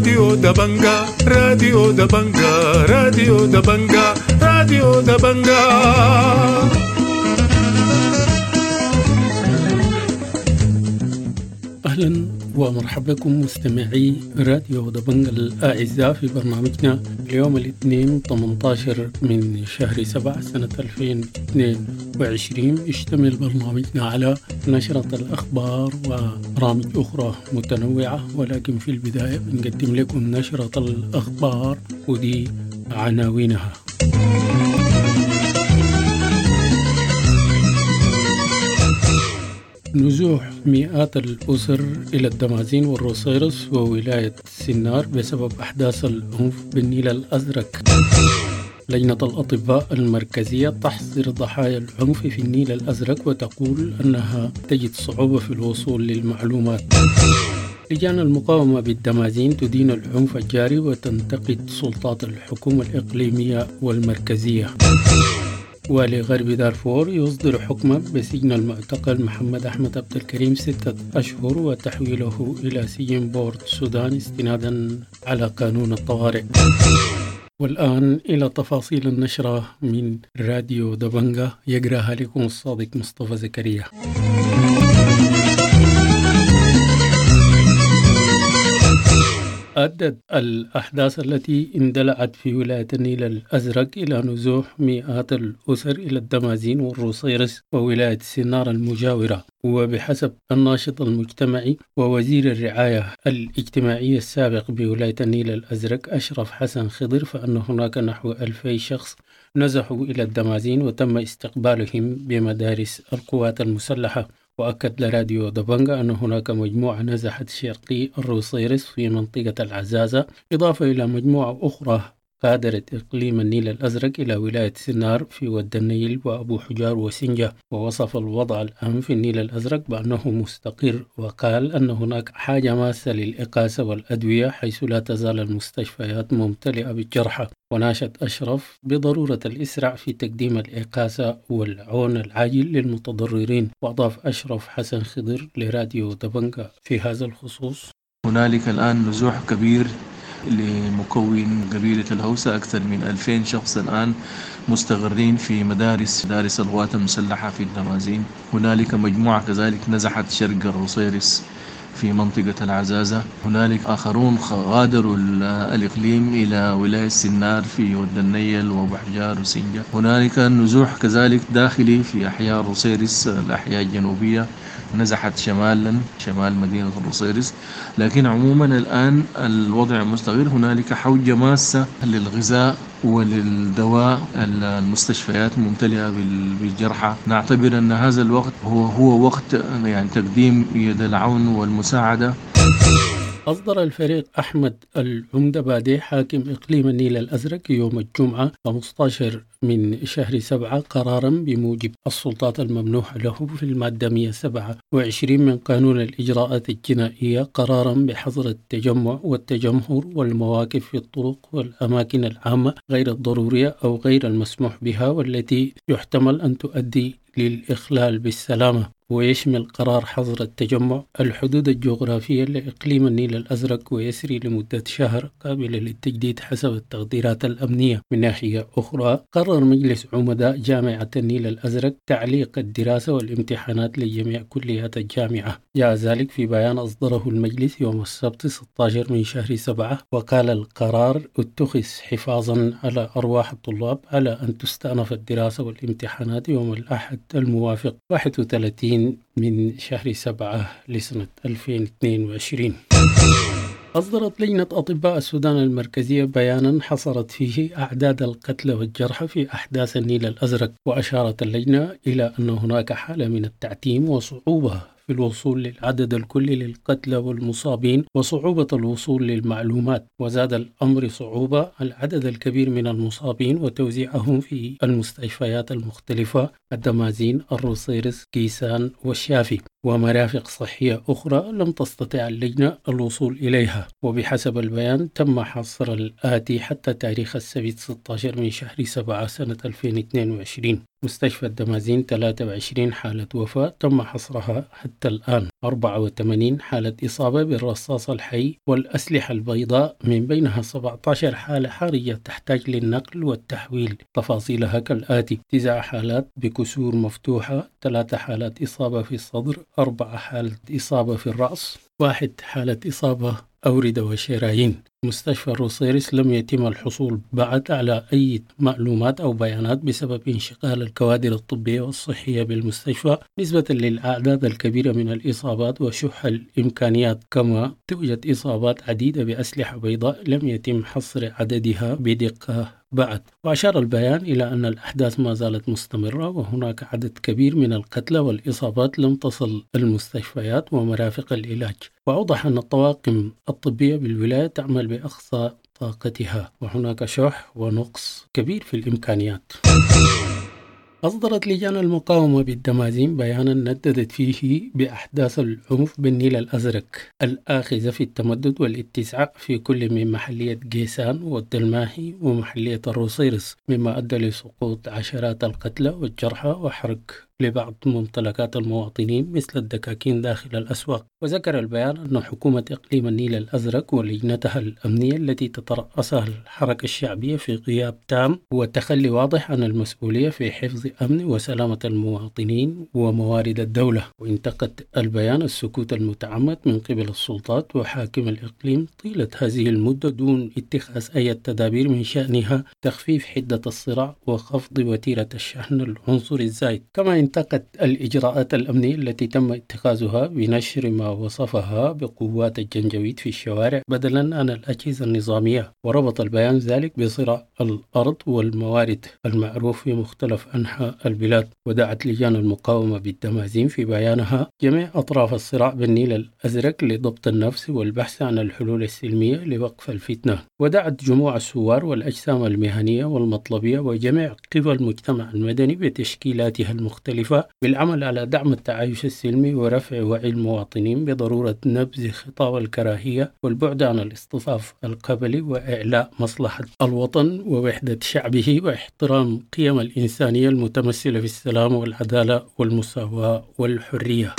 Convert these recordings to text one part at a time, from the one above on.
راديو دبنجا، راديو دبنجا، راديو دبنجا، راديو دبنجا. أهلا ومرحبا بكم مستمعي راديو دبنجا الأعزاء في برنامجنا اليوم الاثنين 18 من شهر 7 سنة 2022. يشتمل برنامجنا على نشرة الأخبار وبرامج أخرى متنوعة، ولكن في البداية بنقدم لكم نشرة الأخبار ودي عناوينها. نزوح مئات الأسر إلى الدمازين والروصيرص وولاية سنار بسبب أحداث العنف بالنيل الأزرق. لجنة الأطباء المركزية تحصر ضحايا العنف في النيل الأزرق وتقول أنها تجد صعوبة في الوصول للمعلومات. لجان المقاومة بالدمازين تدين العنف الجاري وتنتقد سلطات الحكومة الإقليمية والمركزية. والي غرب دارفور يصدر حكما بسجن المعتقل محمد أحمد عبد الكريم 6 أشهر وتحويله إلى سجن بورت السودان استنادا على قانون الطوارئ. والآن إلى تفاصيل النشرة من راديو دبنجا، يقرأها لكم الصادق مصطفى زكريا. أدت الأحداث التي اندلعت في ولاية النيل الأزرق إلى نزوح مئات الأسر إلى الدمازين والروصيرص وولاية سنار المجاورة. وبحسب الناشط المجتمعي ووزير الرعاية الاجتماعية السابق بولاية النيل الأزرق أشرف حسن خضر، فأن هناك نحو 2000 شخص نزحوا إلى الدمازين وتم استقبالهم بمدارس القوات المسلحة. وأكد لراديو دبنجا أن هناك مجموعة نزحت شرقي الروصيرص في منطقة العزازة، إضافة إلى مجموعة أخرى غادرت إقليم النيل الأزرق إلى ولاية سنار في ود النيل وأبو حجار وسنجة. ووصف الوضع الآن في النيل الأزرق بأنه مستقر، وقال أن هناك حاجة ماسة للإقاسة والأدوية حيث لا تزال المستشفيات ممتلئة بالجرحى. وناشد أشرف بضرورة الإسراع في تقديم الإقاسة والعون العاجل للمتضررين. وأضاف أشرف حسن خضر لراديو دبنجا في هذا الخصوص: هنالك الآن نزوح كبير لمكون قبيلة الهوسة، أكثر من 2000 شخص الآن مستقرين في مدارس القوات المسلحة في الدمازين. هنالك مجموعة كذلك نزحت شرق الروصيرص في منطقة العزازة. هنالك آخرون غادروا الإقليم إلى ولاية سنار في ود النيل وأبو حجار وسنجة. هنالك نزوح كذلك داخلي في أحياء الروصيرص، الأحياء الجنوبية نزحت شمالا، شمال مدينة الروصيرص. لكن عموما الآن الوضع مستقر. هنالك حوجة ماسة للغذاء وللدواء، المستشفيات ممتلئة بالجرحى. نعتبر أن هذا الوقت هو وقت يعني تقديم يد العون والمساعدة. أصدر الفريق أحمد العمدة بادي حاكم إقليم النيل الأزرق يوم الجمعة 15 من شهر 7 قرارا بموجب السلطات الممنوحة له في المادة 127 من قانون الإجراءات الجنائية قرارا بحظر التجمع والتجمهر والمواقف في الطرق والأماكن العامة غير الضرورية أو غير المسموح بها والتي يحتمل أن تؤدي للإخلال بالسلامة. ويشمل قرار حظر التجمع الحدود الجغرافية لإقليم النيل الأزرق ويسري لمدة شهر قابلة للتجديد حسب التقديرات الأمنية. من ناحية أخرى، قرر مجلس عمداء جامعة النيل الأزرق تعليق الدراسة والامتحانات لجميع كليات الجامعة. جاء ذلك في بيان أصدره المجلس يوم السبت 16 من شهر 7، وقال القرار اتخذ حفاظا على أرواح الطلاب على أن تستأنف الدراسة والامتحانات يوم الأحد الموافق 31 من شهر 7 لسنة 2022. أصدرت لجنة أطباء السودان المركزية بيانا حصرت فيه أعداد القتلى والجرحى في أحداث النيل الأزرق، وأشارت اللجنة إلى أن هناك حالة من التعتيم وصعوبة في الوصول للعدد الكلي للقتلى والمصابين وصعوبة الوصول للمعلومات، وزاد الأمر صعوبة العدد الكبير من المصابين وتوزيعهم في المستشفيات المختلفة الدمازين، الروصيرص، كيسان والشافي. ومرافق صحية أخرى لم تستطع اللجنة الوصول إليها. وبحسب البيان تم حصر الآتي حتى تاريخ السبت 16 من شهر 7 سنة 2022: مستشفى الدمازين 23 حالة وفاة تم حصرها حتى الآن، 84 حالة إصابة بالرصاص الحي والأسلحة البيضاء، من بينها 17 حالة حرجة تحتاج للنقل والتحويل، تفاصيلها كالآتي: 9 حالات بكسور مفتوحة، 3 حالات إصابة في الصدر، 4 حالات إصابة في الرأس، 1 حالة إصابة أوردة وشرايين. مستشفى الروصيرص لم يتم الحصول بعد على أي معلومات أو بيانات بسبب انشغال الكوادر الطبية والصحية بالمستشفى نسبة للأعداد الكبيرة من الإصابات وشح الإمكانيات، كما توجد إصابات عديدة بأسلحة بيضاء لم يتم حصر عددها بدقة بعد. وأشار البيان إلى أن الأحداث ما زالت مستمرة، وهناك عدد كبير من القتلى والإصابات لم تصل المستشفيات ومرافق العلاج. وأوضح أن الطواقم الطبية بالولاية تعمل بأقصى طاقتها، وهناك شح ونقص كبير في الإمكانيات. أصدرت لجان المقاومة بالدمازين بيانا نددت فيه بأحداث العنف بالنيل الأزرق الآخذة في التمدد والاتساع في كل من محلية قيسان والدلماهي ومحلية الروصيرص، مما أدى لسقوط عشرات القتلى والجرحى وحرق لبعض ممتلكات المواطنين مثل الدكاكين داخل الأسواق. وذكر البيان أن حكومة إقليم النيل الأزرق ولجنتها الأمنية التي تترأسها الحركة الشعبية في غياب تام وتخلي واضح عن المسؤولية في حفظ أمن وسلامة المواطنين وموارد الدولة. وانتقد البيان السكوت المتعمد من قبل السلطات وحاكم الإقليم طيلة هذه المدة دون اتخاذ أي تدابير من شأنها تخفيف حدة الصراع وخفض وتيرة الشحن العنصري الزايد. كما انتقد الإجراءات الأمنية التي تم اتخاذها بنشر ما وصفها بقوات الجنجويد في الشوارع بدلا عن الأجهزة النظامية. وربط البيان ذلك بصراع الأرض والموارد المعروف في مختلف أنحاء البلاد. ودعت لجان المقاومة بالدمازين في بيانها جميع أطراف الصراع بالنيل الأزرق لضبط النفس والبحث عن الحلول السلمية لوقف الفتنة. ودعت جموع الثوار والأجسام المهنية والمطلبية وجميع قوى المجتمع المدني بتشكيلاتها المختلفة بالعمل على دعم التعايش السلمي ورفع وعي المواطنين بضرورة نبذ خطاب الكراهية والبعد عن الاصطفاف القبلي وإعلاء مصلحة الوطن ووحدة شعبه واحترام قيم الإنسانية المتمثلة في السلام والعدالة والمساواة والحرية.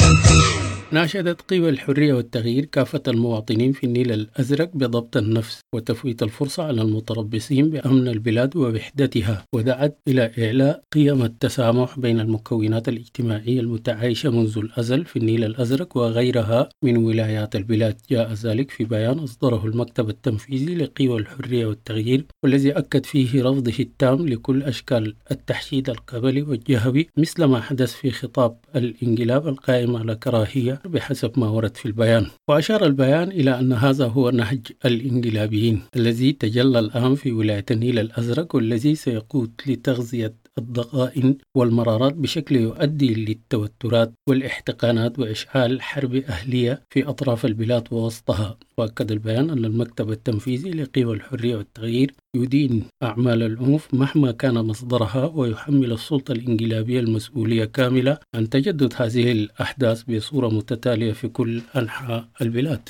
ناشدت قوى الحرية والتغيير كافة المواطنين في النيل الأزرق بضبط النفس وتفويت الفرصة على المتربصين بأمن البلاد ووحدتها، ودعت إلى إعلاء قيم التسامح بين المكونات الاجتماعية المتعايشة منذ الأزل في النيل الأزرق وغيرها من ولايات البلاد. جاء ذلك في بيان أصدره المكتب التنفيذي لقوى الحرية والتغيير، والذي أكد فيه رفضه التام لكل أشكال التحشيد القبلي والجهوي مثل ما حدث في خطاب الانقلاب القائم على كراهية بحسب ما ورد في البيان. وأشار البيان إلى أن هذا هو نهج الانقلابيين الذي تجلى الآن في ولاية النيل الأزرق، والذي سيقود لتغذية الضغائن والمرارات بشكل يؤدي للتوترات والاحتقانات وإشعال حرب أهلية في أطراف البلاد ووسطها. وأكد البيان أن المكتب التنفيذي لقوى الحرية والتغيير يدين أعمال العنف مهما كان مصدرها، ويحمل السلطة الانقلابية المسؤولية كاملة عن تجدد هذه الأحداث بصورة متتالية في كل أنحاء البلاد.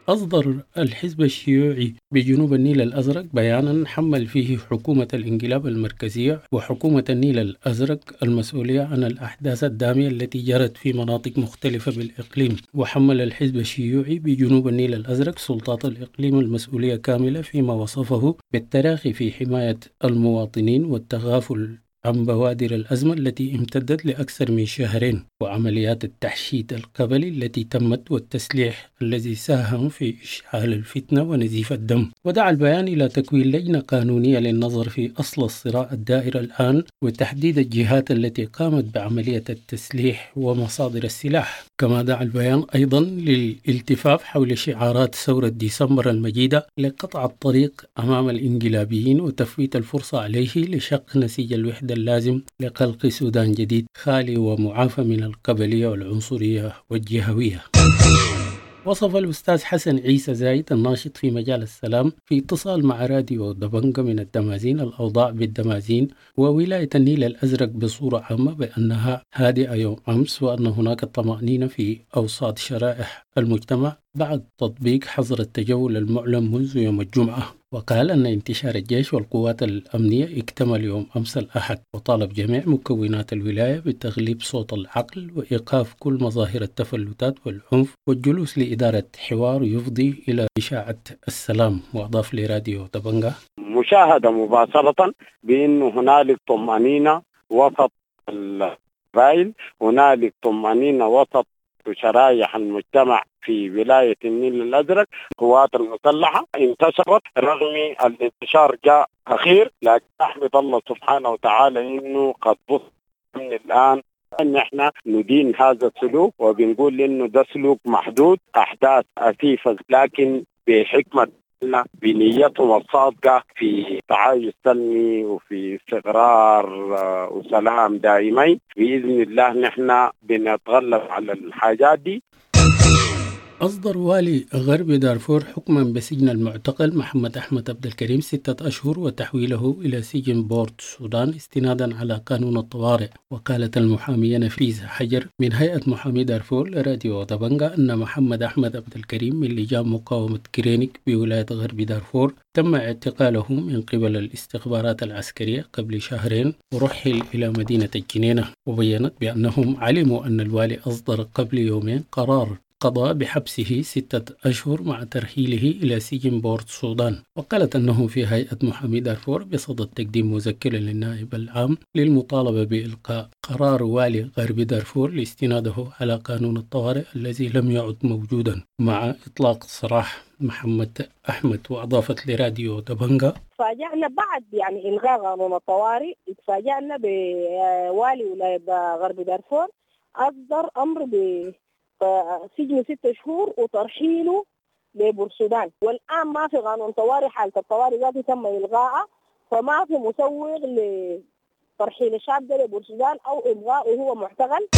أصدر الحزب الشيوعي بجنوب النيل الأزرق بيانا حمل فيه حكومة الانقلاب المركزية وحكومة النيل الأزرق المسؤولية عن الأحداث الدامية التي جرت في مناطق مختلفة بالإقليم. وحمل الحزب الشيوعي بجنوب النيل الأزرق سلطات الإقليم المسؤولية كاملة فيما وصفه بالتراخي في حماية المواطنين والتغافل عن بوادر الأزمة التي امتدت لأكثر من شهرين، وعمليات التحشيد القبلي التي تمت والتسليح الذي ساهم في إشعال الفتنة ونزيف الدم. ودعا البيان إلى تكوين لجنة قانونية للنظر في أصل الصراع الدائر الآن وتحديد الجهات التي قامت بعملية التسليح ومصادر السلاح. كما دعا البيان أيضا للالتفاف حول شعارات ثورة ديسمبر المجيدة لقطع الطريق أمام الانقلابيين وتفويت الفرصة عليه لشق نسيج الوحدة اللازم لخلق سودان جديد خالي ومعافى من القبلية والعنصرية والجهوية. وصف الأستاذ حسن عيسى زايد الناشط في مجال السلام في اتصال مع راديو دبنجة من الدمازين الأوضاع بالدمازين وولاية النيل الأزرق بصورة عامة بأنها هادئة يوم أمس، وأن هناك طمأنينة في أوساط شرائح المجتمع بعد تطبيق حظر التجول المعلن منذ يوم الجمعة. وقال أن انتشار الجيش والقوات الأمنية اكتمل يوم أمس الأحد، وطالب جميع مكونات الولاية بتغليب صوت العقل وإيقاف كل مظاهر التفلتات والعنف والجلوس لإدارة حوار يفضي إلى إشاعة السلام. وأضاف لراديو دبنجة: مشاهدة مباشرة بأنه هنالك طمأنينة وسط القبائل، هنالك طمأنينة وسط شرائح المجتمع في ولاية النيل الأزرق. القوات المسلحة انتشرت رغم الانتشار جاء أخير، لكن أحمد الله سبحانه وتعالى إنه قد بص من الآن أن إحنا ندين هذا السلوك، وبنقول إنه ده سلوك محدود، أحداث أسيفة لكن بحكمة بنيتهم الصادقة في تعايش سلمي وفي استقرار وسلام دائمين. بإذن الله نحن بنتغلب على الحاجات دي. أصدر والي غرب دارفور حكما بسجن المعتقل محمد أحمد عبد الكريم 6 أشهر وتحويله إلى سجن بورت السودان استنادا على قانون الطوارئ. وقالت المحامية نفيسة حجر من هيئة محامي دارفور لراديو دبنجة أن محمد أحمد عبد الكريم من لجان مقاومة كرينيك بولاية غرب دارفور تم اعتقاله من قبل الاستخبارات العسكرية قبل شهرين ورحل إلى مدينة الجنينة. وبينت بأنهم علموا أن الوالي أصدر قبل يومين قرار قضى بحبسه 6 أشهر مع ترحيله إلى سجن بورت السودان. وقالت أنه في هيئة محامي دارفور بصدد تقديم مذكرة للنائب العام للمطالبة بإلقاء قرار والي غرب دارفور لاستناده على قانون الطوارئ الذي لم يعد موجودا مع إطلاق سراح محمد أحمد. وأضافت لراديو دبنجة: تفاجأنا بعد يعني إلغاء قانون الطوارئ، تفاجأنا بوالي ولاية غرب دارفور أصدر أمر سجن 6 شهور وترحيله لبورسودان. والآن ما في قانون طوارئ، حالة الطوارئ ذاته تم إلغائها، فما في مسوغ لترحيل الشعب ده لبورسودان أو إلغائه وهو معتقل.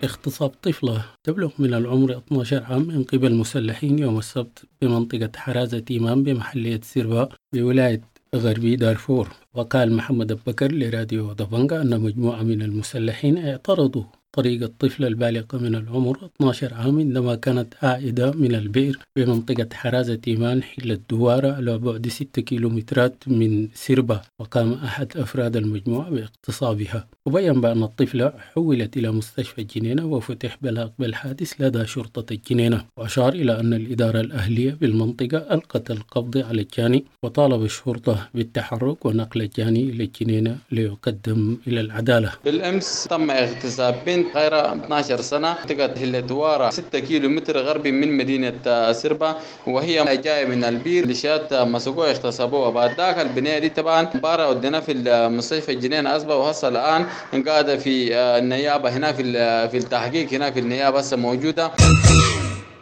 اغتصاب طفلة تبلغ من العمر 12 عام من قبل مسلحين يوم السبت بمنطقة حرازة تيمان بمحلية سيربا بولاية غربي دارفور. وقال محمد بكر لراديو دبنجة أن مجموعة من المسلحين اعترضوا طريق الطفلة البالغة من العمر 12 عام عندما كانت عائدة من البئر بمنطقة حرازة تيمان حل الدوارة على بعد 6 كيلومترات من سيربا، وقام أحد أفراد المجموعة باغتصابها. وبين بأن الطفلة حولت إلى مستشفى الجنينة وفتح بلاغ بالحادث لدى شرطة الجنينة. وأشار إلى أن الإدارة الأهلية بالمنطقة ألقت القبض على الجاني وطالب الشرطة بالتحرك ونقل الجاني إلى الجنينة ليقدم إلى العدالة. بالأمس تم اغتصاب بنت غير 12 سنة منطقة هلدوارة 6 كيلو متر غربي من مدينة سربا، وهي جاية من البير لشات مسكوها اغتصبوها. بعد ذاك البنية دي طبعا بارا ودينا في المستشفى الجنينة أصبح، وهسه الآن قاعدة في النيابة هنا في التحقيق هنا في النيابة هسه موجودة.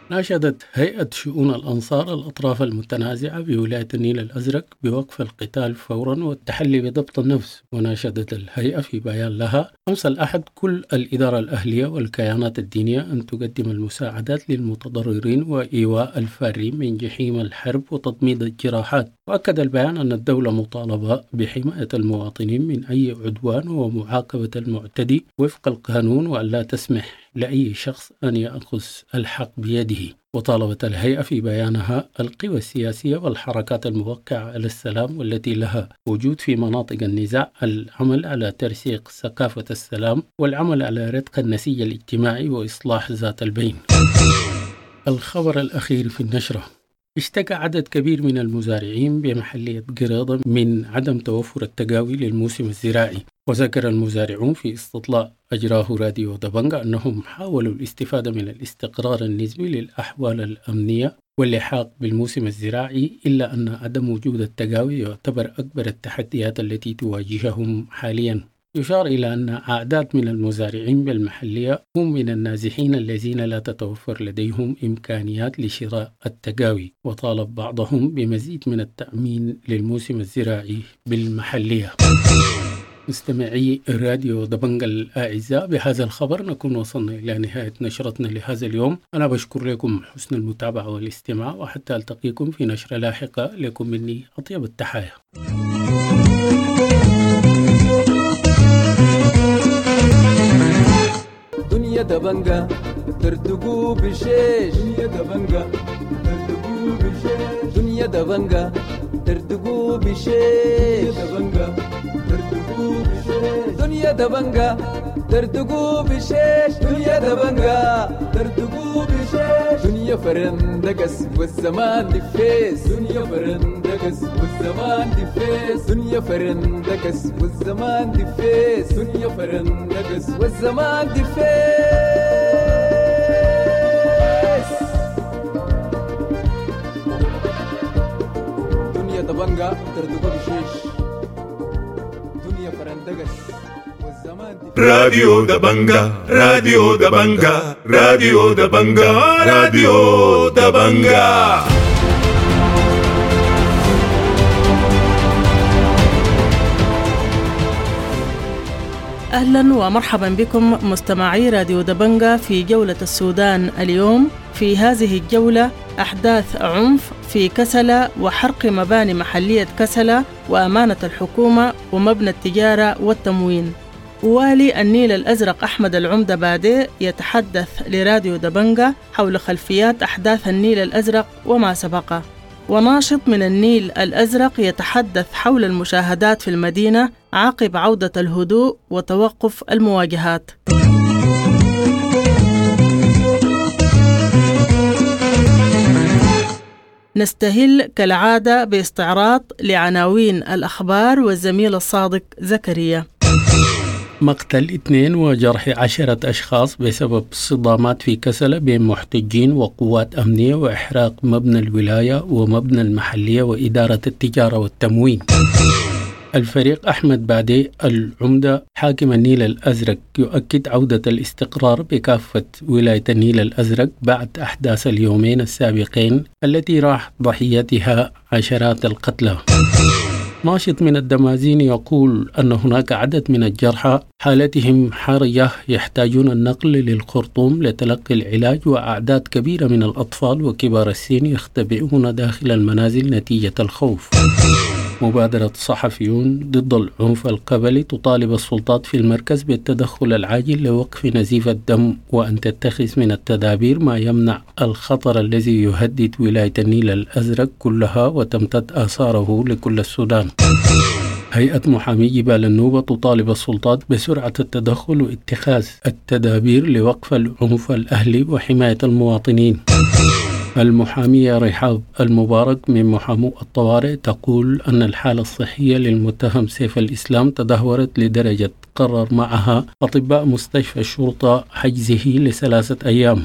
ناشدت هيئة شؤون الأنصار الأطراف المتنازعة بولاية النيل الأزرق بوقف القتال فورا والتحلي بضبط النفس. وناشدت الهيئة في بيان لها أمس الأحد كل الإدارة الأهلية والكيانات الدينية أن تقدم المساعدات للمتضررين وإيواء الفارين من جحيم الحرب وتضميد الجراحات. وأكد البيان أن الدولة مطالبة بحماية المواطنين من أي عدوان ومعاقبة المعتدي وفق القانون، وأن لا تسمح لأي شخص أن يأخذ الحق بيده. وطالبت الهيئة في بيانها القوى السياسية والحركات الموقعة على السلام والتي لها وجود في مناطق النزاع العمل على ترسيخ ثقافة السلام والعمل على رتق النسيج الاجتماعي وإصلاح ذات البين. الخبر الأخير في النشرة: اشتكى عدد كبير من المزارعين بمحلية قراضة من عدم توفر التقاوي للموسم الزراعي. وذكر المزارعون في استطلاع أجراه راديو دبنجة أنهم حاولوا الاستفادة من الاستقرار النسبي للأحوال الأمنية واللحاق بالموسم الزراعي، إلا أن عدم وجود التقاوي يعتبر أكبر التحديات التي تواجههم حاليا. يشار إلى أن أعداد من المزارعين بالمحلية هم من النازحين الذين لا تتوفر لديهم إمكانيات لشراء التقاوي، وطالب بعضهم بمزيد من التأمين للموسم الزراعي بالمحلية. مستمعي راديو دبنج الأعزاء، بهذا الخبر نكون وصلنا إلى نهاية نشرتنا لهذا اليوم. أنا بشكر لكم حسن المتابعة والاستماع، وحتى ألتقيكم في نشرة لاحقة، لكم مني أطيب التحايا. دنيا دبنجة ترتقو بشيش، دنيا دبنجة ترتقو بشيش، دنيا دبنجة ترتقو بشيش، دبنجة ترتقو بشيش، دنيا دبنجة ترتقو بشيش، دنيا دبنجة ترتقو بشيش، دنيا فرندقس والزمان دفيس، دنيا فرندقس والزمان دفيس، دنيا فرندقس والزمان دفيس، دنيا فرندقس والزمان دفيس. دنيا دبنجة ترتقو بشيش، دنيا فرندقس. راديو دبنجة، راديو دبنجة، راديو دبنجة، راديو دبنجة. أهلا ومرحبا بكم مستمعي راديو دبنجة في جولة السودان اليوم. في هذه الجولة أحداث عنف في كسلة وحرق مباني محلية كسلة وأمانة الحكومة ومبنى التجارة والتموين. والي النيل الأزرق أحمد العمدة بادي يتحدث لراديو دبنجة حول خلفيات أحداث النيل الأزرق وما سبقه. وناشط من النيل الأزرق يتحدث حول المشاهدات في المدينة عقب عودة الهدوء وتوقف المواجهات. نستهل كالعادة باستعراض لعناوين الأخبار والزميل الصادق زكريا. مقتل 2 وجرح 10 أشخاص بسبب صدامات في كسلة بين محتجين وقوات أمنية وإحراق مبنى الولاية ومبنى المحلية وإدارة التجارة والتموين. الفريق أحمد بادي العمدة حاكم النيل الأزرق يؤكد عودة الاستقرار بكافة ولاية النيل الأزرق بعد أحداث اليومين السابقين التي راح ضحيتها عشرات القتلى. ناشط من الدمازين يقول أن هناك عدد من الجرحى حالتهم حرجة يحتاجون النقل للخرطوم لتلقي العلاج، وأعداد كبيرة من الأطفال وكبار السن يختبئون داخل المنازل نتيجة الخوف. مبادرة صحفيون ضد العنف القبلي تطالب السلطات في المركز بالتدخل العاجل لوقف نزيف الدم وأن تتخذ من التدابير ما يمنع الخطر الذي يهدد ولاية النيل الأزرق كلها وتمتد آثاره لكل السودان. هيئة محامي جبال النوبة تطالب السلطات بسرعة التدخل واتخاذ التدابير لوقف العنف الأهلي وحماية المواطنين. المحامية رحاب المبارك من محامو الطوارئ تقول أن الحالة الصحية للمتهم سيف الإسلام تدهورت لدرجة قرر معها أطباء مستشفى الشرطة حجزه ل3 أيام.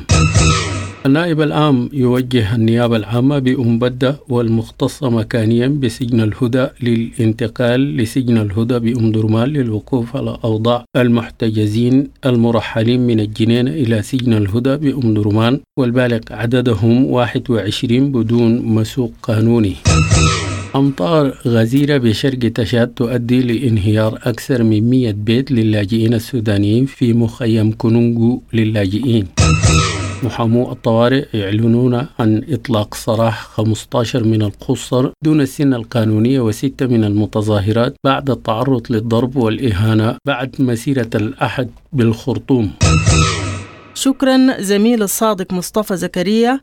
النائب العام يوجه النيابة العامة بأم بدة والمختصة مكانيا بسجن الهدى للانتقال لسجن الهدى بأم درمان للوقوف على أوضاع المحتجزين المرحلين من الجنينة إلى سجن الهدى بأم درمان والبالغ عددهم 21 بدون مسوق قانوني. أمطار غزيرة بشرق تشاد تؤدي لانهيار أكثر من 100 بيت للاجئين السودانيين في مخيم كونونغو للاجئين. محامو الطوارئ يعلنون عن إطلاق سراح 15 من القُصر دون السن القانونية و6 من المتظاهرات بعد التعرض للضرب والإهانة بعد مسيرة الأحد بالخرطوم. شكرا زميل الصادق مصطفى زكريا.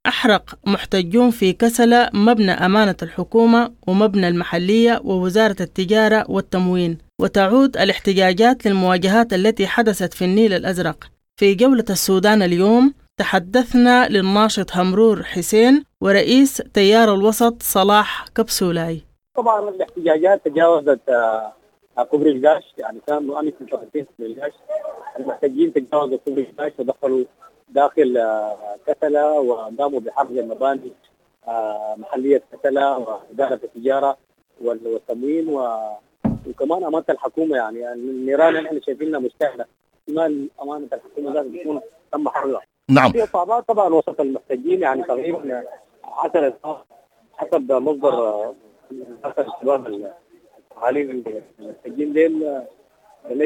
أحرق محتجون في كسلة مبنى أمانة الحكومة ومبنى المحلية ووزارة التجارة والتموين، وتعود الاحتجاجات للمواجهات التي حدثت في النيل الأزرق. في جولة السودان اليوم تحدثنا للناشط همرور حسين ورئيس تيار الوسط صلاح كبسولاي. طبعا الاحتجاجات تجاوزت كوبري القاش، يعني كانوا امس متواجدين في القاش، المحتجين تجاوزوا كوبري القاش ودخلوا داخل كسلة وقاموا بحرق المباني محلية كسلة وإدارة التجارة والتموين وكمان أمانة الحكومة. يعني النيران اللي احنا شايفينها مشتعلة، احتمال أمانة الحكومة لازم تكون تم حرقها. نعم. في إصابات طبعا وسط المحتجين، يعني تقريبا 10 إصابات حسب مصدر الشباب حاليا المحتجين ديل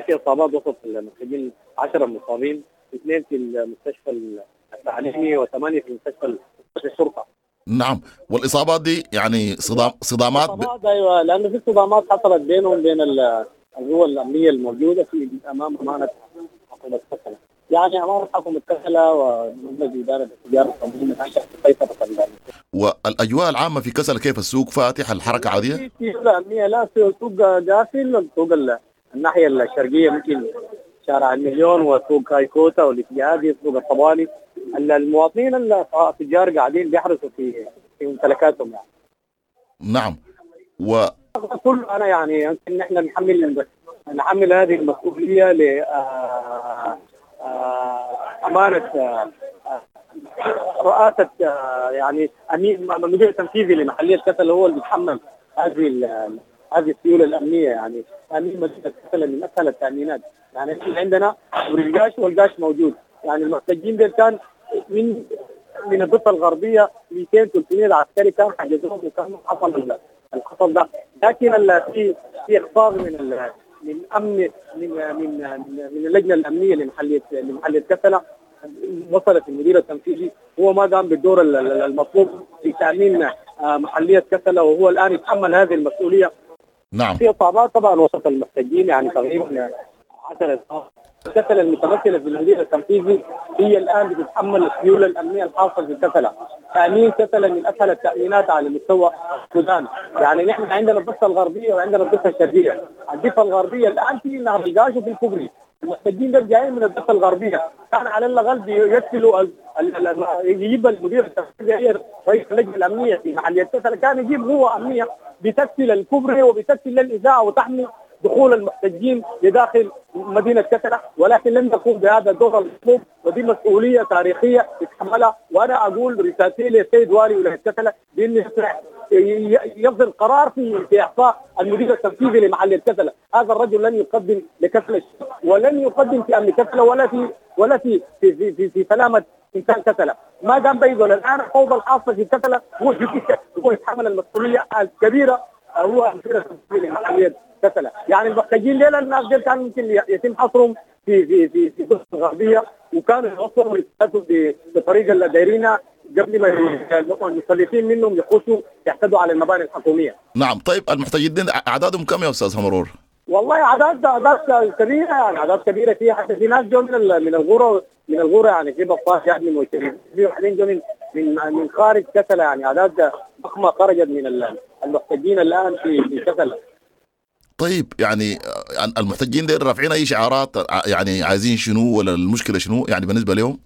في اصابات وسط المحتجين، 10 مصابين، 2 في المستشفى التعليمي و8 في المستشفى الشرطة. نعم، والاصابات دي يعني صدامات ايوه، لانه في صدامات حصلت بينهم بين القوى الامنية الموجودة في امام امانه حكومة كسلا، يعني امانه حكومة كسلا ومجلس ادارة التجارة التنظيم سيطرة. والاجواء العامة في كسلا كيف؟ السوق فاتح، الحركة عادية؟ في سيولة امنية، لا سوق قافل. السوق الناحية الشرقية ممكن شارع المليون وسوق كايكوتا والاتجاهات، سوق الطبالي، المواطنين التجار قاعدين بيحرسوا في ممتلكاتهم يعني. نعم. كل انا يعني يمكن نحن نحمل هذه المسؤولية ل امانه رئاسة يعني المدير التنفيذي لمحليه كسلا هو اللي بيتحمل هذه السيولة الامنية. يعني تامين مدينة كسلا من اسهل التامينات، يعني احنا عندنا القاش والقاش موجود. يعني المحتجين دول كان من الضفة الغربية 200 300 عسكري كان حجزوهم وكان حصل الحصل ده، لكن في اخفاق من من امن من من من اللجنة الامنية لمحليه كسلا. وصلت المدير التنفيذي هو ما قام بالدور المطلوب في تامين محليه كسلا، وهو الان يتحمل هذه المسؤولية. نعم. في اصابات طبعا وسط المحتجين، يعني تقريبا 10 اصابات. كسلا المتمثلة في المدير التنفيذي هي الان بتتحمل السيولة الامنية الحاصلة في كسلا. تامين كسلا من اسهل التامينات على مستوى السودان، يعني نحن عندنا الضفة الغربية وعندنا الضفة الشرقية. الضفة الغربية الان في نهر القاش وفي الكوبري، المحتجين دول جايين من الضفة الغربية، كان على الاقل يقتلوا يجيب المدير التنفيذي رئيس اللجنة الامنية في محليه كسلا، كان يجيب قوة امنية بتكفل الكوبري وبتكفل الاذاعة وتحمي دخول المحتجين لداخل مدينة كسلا، ولكن لم يقوم بهذا الدور المطلوب، ودي مسؤولية تاريخية يتحملها. وأنا أقول رسالتي للسيد والي ولاية كسلا بأنه يصدر قرار في إعفاء المدير التنفيذي لمحلية كسلا. هذا الرجل لن يقدم لكسلا ولن يقدم في أمن كسلا ولا في في في في, في سلامة إنسان كسلا. ما دام بيزول الآن الفوضى الحاصلة في كسلا هو يتحمل المسؤولية الكبيرة، هو المدير التنفيذي لمحلية كسلا. يعني المحتجين ليلة الناس ديل كان ممكن يتم حصرهم في في في في الضفة الغربية، وكانوا يوصلوا بالطريقة اللي دايرينها قبل ما المسلطين منهم يخشوا يعتدوا على المباني الحكومية. نعم. طيب المحتجين اعدادهم كم يا استاذ همرور؟ والله اعداد كبيرة، يعني اعداد كبيرة، فيها حتى في ناس جو من الغورة، يعني في بطاش يعني مشترين، في واحدين جو من خارج كسلا، يعني اعداد ضخمة خرجت من المحتجين الان في كسلا. طيب يعني المحتجين ديل رافعين اي شعارات، يعني عايزين شنو ولا المشكلة شنو يعني بالنسبة لهم؟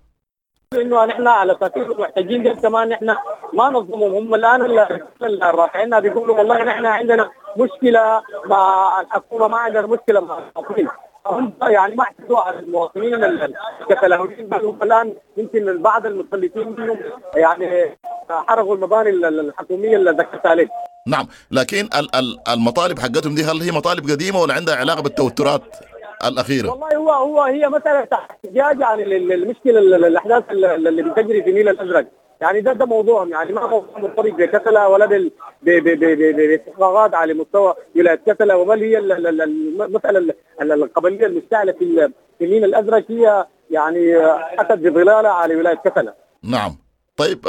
انه نحن على اساس المحتجين ديل كمان نحن ما نظلمهم، هم الان الرافعين بيقولوا والله نحن عندنا مشكلة مع الحكومة، ما عندنا مشكلة مع المواطنين. هم يعني ما اعتدوا على المواطنين الكسلاويين، بل هم الان يمكن بعض المتسلطين منهم يعني حرقوا المباني الحكومية اللي ذكرت عليك. نعم، لكن المطالب حقتهم دي هل هي مطالب قديمة ولا عندها علاقة بالتوترات الأخيرة؟ والله هو هي مسألة احتجاج يعني للمشكلة الأحداث اللي بتجري في النيل الأزرق، يعني ده موضوعهم، يعني ما موضوع مرتبط بكسلا ولا باستحقاقات على مستوى ولاية كسلا، وبل هي المسألة القبلية المشتعلة في النيل الأزرق هي يعني أتت بظلالها على ولاية كسلا. نعم. طيب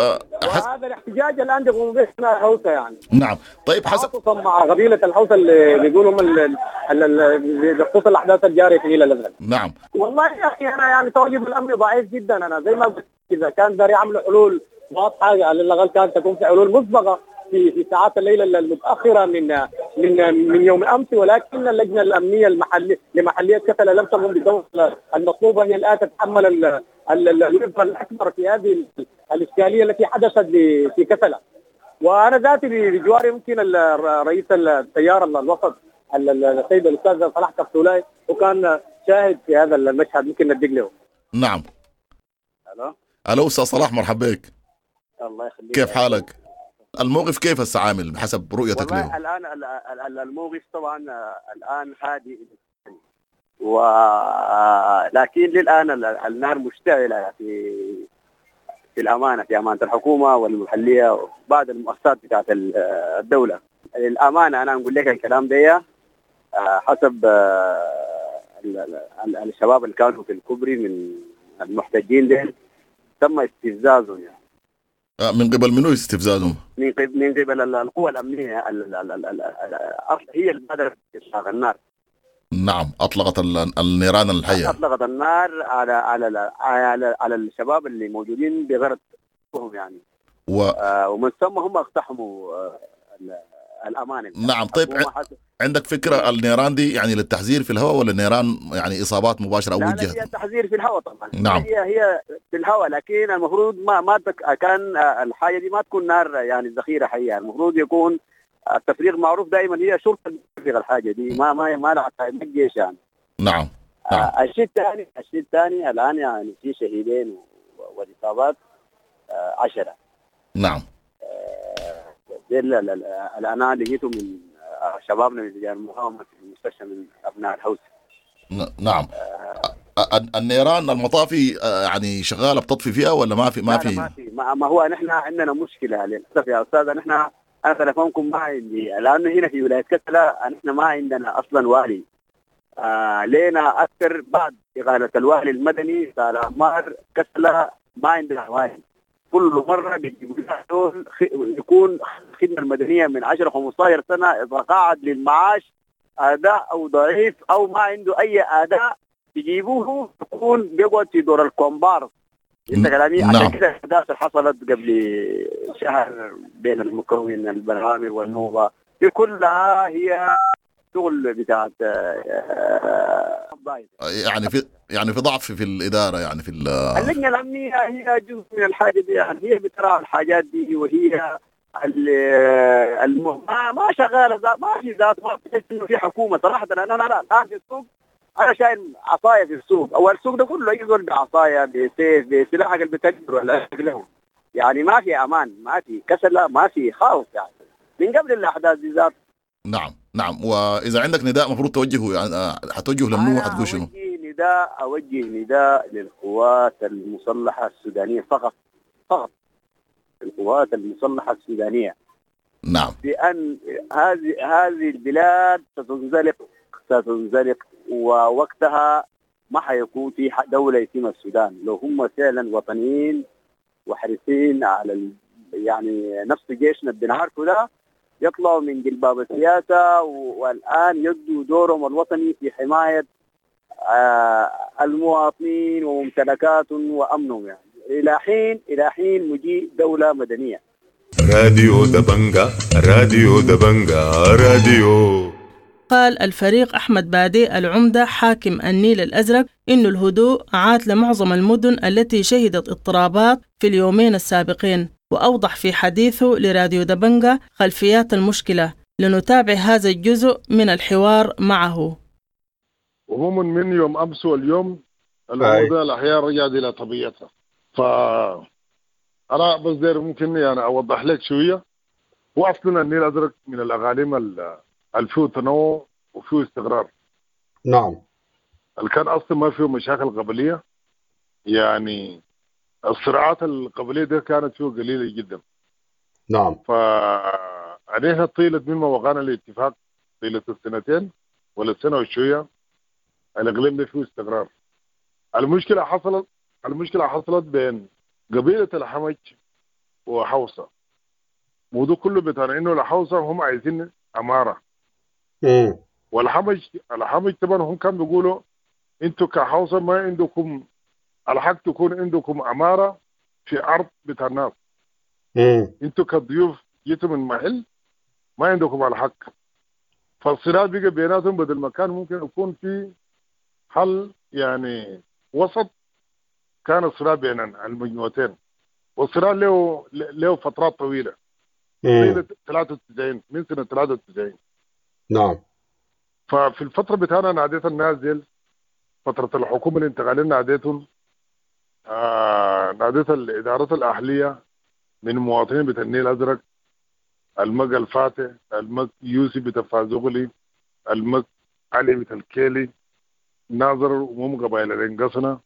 هذا الاحتجاج الان بيقوموا به الحوثه يعني. نعم. طيب حسب مع قبيلة الحوثه اللي بيقولوا بخصوص الاحداث الجارية في النيل الازرق. نعم. والله يا اخي انا يعني تواجد الامن ضعيف جدا، انا زي ما قلت اذا كان داري يعملوا حلول واضحة على الاقل كانت تكون في حلول مسبقة في ساعات الليل المتاخرة من يوم امس، ولكن اللجنة الامنية المحلية لمحليه كسلا لم تقم بالدور المطلوبة. هي الان تتحمل الوزن الاكبر في هذه الاشكالية التي حدثت في كسلا. وانا ذاتي بجواري يمكن رئيس التيار الوسط السيد الاستاذ صلاح كفتولاي وكان شاهد في هذا المشهد، ممكن نديك له. نعم. الو الو استاذ صلاح، مرحبا بك. الله يخليك، كيف حالك؟ الموقف كيف هسه عامل بحسب رؤيتك له؟ الان الموقف طبعا الان هادئ، ولكن للان النار مشتعلة في الامانة، في امانه الحكومة والمحليه وبعض المؤسسات بتاعت الدولة. للامانة انا اقول لك الكلام ده حسب الشباب اللي كانوا في الكوبري من المحتجين ديل تم استفزازهم يعني. من قبل منو استفزازهم؟ من قبل القوى الأمنية هي اللي بادرت إطلاق النار. نعم، أطلقت النيران الحية. أطلقت النار على على على على الشباب اللي موجودين بغرض يعني. ومن ثم هم اقتحموا الأمانة. نعم، طيب عندك فكرة النيران دي يعني للتحذير في الهواء ولا النيران يعني إصابات مباشرة أو وجهت؟ لا، هي تحذير في الهواء طبعا. نعم، هي في الهواء، لكن المفروض ما كان الحاجة دي ما تكون نار يعني ذخيرة حية، المفروض يكون التفريغ معروف دائما، هي شرطة تفريغ الحاجة دي، ما ما ما لها الجيش يعني. نعم. نعم. الشيء الثاني الآن يعني في شهيدين والإصابات 10. نعم. الآن لقيته من شبابنا من رجال المقاومة في المستشفى من أبناء الهوس. نعم. النيران المطافي يعني شغالة بتطفي فيها ولا ما في؟ ما في ما هو نحن عندنا مشكلة للأسف يا أستاذ. نحن أنا تلفونكم ما عندي، لأنه هنا في ولاية كسلا نحن ما عندنا أصلا والي. لينا أكثر بعد إقالة الوالي المدني صار عمار كسلا ما عندنا والي. كل مرة بيجيبوا يكون الخدمة المدنية من 10-15 سنة إذا قاعد للمعاش أداء أو ضعيف أو ما عنده أي أداء بيجيبوه يكون بيقعد في دور الكومبارس. انت كلامي؟ عشان كده الأحداث حصلت قبل شهر بين المكون البرامي والنوبة دي كلها هي شغل بتاعت يعني في ضعف في الإدارة، يعني في اللجنة الأمنية هي جزء من الحاجة دي، يعني هي بتراعي الحاجات دي، وهي ما شغالة، ما في ذات، ما في إنه في حكومة صراحة. أنا الآن في السوق أنا شايل عصاية في السوق، أو السوق ده كله يزول بعصاية بسيف بسلاح اللي بتجر ولا له، يعني ما في أمان، ما في كسلة، ما في خوف يعني من قبل الأحداث دي ذات. نعم. نعم. وإذا عندك نداء مفروض توجهه، يعني حتوجهه لمنو حتقول شنو؟ أوجه نداء للقوات المسلحة السودانية فقط القوات المسلحة السودانية. نعم. بأن هذه البلاد ستنزلق ووقتها ما حيكون في دولة اسمها السودان لو هم فعلا وطنيين وحريصين على يعني نفس جيشنا بنعرفه ده يطلعوا من جلباب السياسة، والآن يدوا دورهم الوطني في حماية المواطنين وممتلكاتهم وأمنهم، يعني إلى حين مجيء دولة مدنية. راديو دبنجا، راديو دبنجا، راديو. قال الفريق أحمد بادي العمدة حاكم النيل الأزرق إن الهدوء عاد لمعظم المدن التي شهدت اضطرابات في اليومين السابقين، وأوضح في حديثه لراديو دبنجا خلفيات المشكلة. لنتابع هذا الجزء من الحوار معه. عموما من يوم أمس واليوم الأمور الأحياء رجعت إلى طبيعتها. فأنا بس داير ممكن يعني أوضح لك شوية. وأصلا النيل الأزرق من الأغاليم اللي فيه تنوع وفيه استقرار. نعم. اللي كان أصلا ما فيه مشاكل قبلية، يعني الصراعات القبلية دي كانت فيه قليلة جدا. نعم. فعليها طيلة مما وقعنا الاتفاق طيلة السنتين ولا السنة وشوية الإقليم ده فيه استقرار. المشكلة حصلت بين قبيلة الحمج وحوصة. موضوع كله بتاع إنه الحوصة هم عايزين أمارة. والحمج طبعا هم كانوا بيقولوا انتوا كحوصة ما عندكم الحق تكون عندكم أمارة في أرض بتاع الناس. انتوا كضيوف جيتوا من محل ما عندكم الحق. فالصراع بقى بيناتهم بدل ما كان ممكن يكون في حل يعني وسط، كان الصراع بين المجموعتين، والصراع له فترات طويلة. 93 من سنة 93. نعم. ففي الفترة بتاعنا ناديت النازل فترة الحكومة الانتقالية، ناديتهم ناديت الإدارات الأهلية من مواطنين بتاع النيل الأزرق، المج الفاتح، المج يوسف بتاع فازوغلي، المج علي بتاع الكيلي، ناظر ومم قبائل الانقصنة،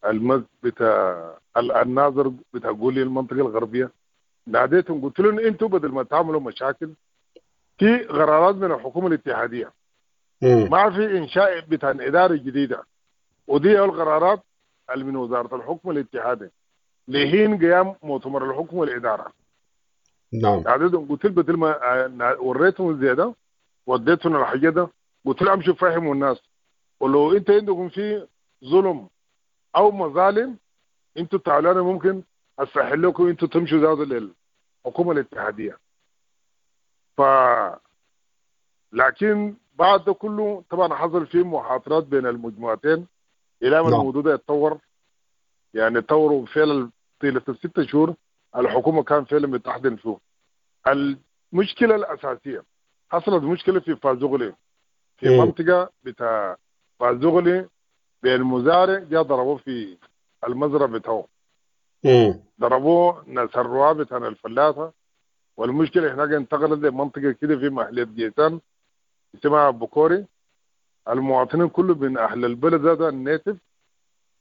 المج بتاع الناظر بتاع قولي المنطقة الغربية. ناديتهم قلت لهم انتوا بدل ما تعملوا مشاكل في قرارات من الحكومة الاتحادية ما في انشاء بتاع ادارة جديدة. ودي القرارات اللي من وزارة الحكم الاتحادي لحين قيام مؤتمر الحكم والادارة. نعم. عددهم قلت بدل ما وريتهم زيادة وديتهم الحاجة ده، قلت لهم امشوا فهموا الناس، ولو انت عندكم في ظلم او مظالم انتوا تعالوا انا ممكن اسهل لكم انتوا تمشوا زادوا للحكومة الاتحادية. ف لكن بعد ده كله طبعا حصل فيه محاضرات بين المجموعتين الى ما الموضوع ده يتطور. يعني تطوروا فعلا طيلة ال6 شهور الحكومة كان فعلا بتحضن فيه. المشكلة الاساسية حصلت مشكلة في فازوغلي، في منطقة بتاع فازوغلي بين مزارع جاء ضربوه في المزرعة بتاعه، ضربوه ناس الرعاة بتاع الفلاحة. والمشكلة هناك انتقلت لمنطقه كده في محلية جيتان اسمها بوكوري. المواطنين كله من اهل البلد ذات ال native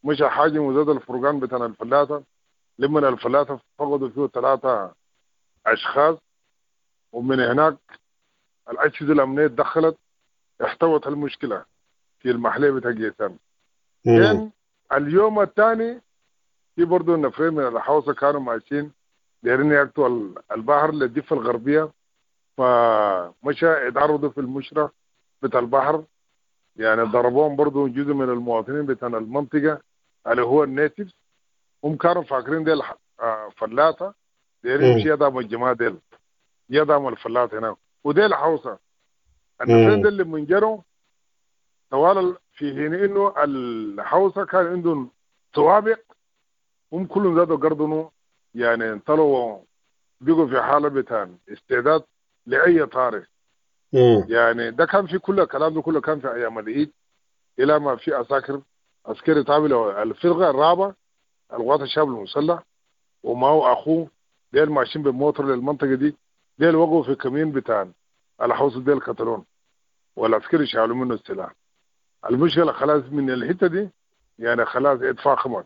مش حاجة وزاد الفرقان بتاع الفلاحة. لما الفلاحة فقدوا فيه 3 اشخاص، ومن هناك الاجهزة الامنية تدخلت احتوت المشكلة في المحلية بتاع جيتان. اليوم الثاني في برضه نفرين من الحوصه كانوا ماشيين دايرين يقطعوا البحر للضفه الغربية، فمشى اتعرضوا في المشرة بتاع البحر، يعني ضربوهم برضه جزء من المواطنين بتاع المنطقة اللي هو ال native. هم كانوا فاكرين ديل فلاته دايرين يمشي يدعموا الجماعة ديل، يدعموا الفلاته هناك، وديل حوصه. النفرين ديل اللي من جروا طوال في حين انه الحوصه كان عندهم سوابق، هم كلهم زادوا قردنوا، يعني طلعوا بقوا في حاله بتاع استعداد لاي طارئ. يعني ده كان في كل الكلام ده كله كان في ايام العيد، الى ما في عساكر عسكري تابع الفرقة الرابعة القوات الشعب المسلح ومعه اخوه ديل ماشيين بالموتور للمنطقة دي، ديل وقعوا في كمين بتاع الحوصه ديل قتلون، والعسكري شالوا منه السلاح. المشكلة خلاص من الحتة دي يعني خلاص اتفاقمت.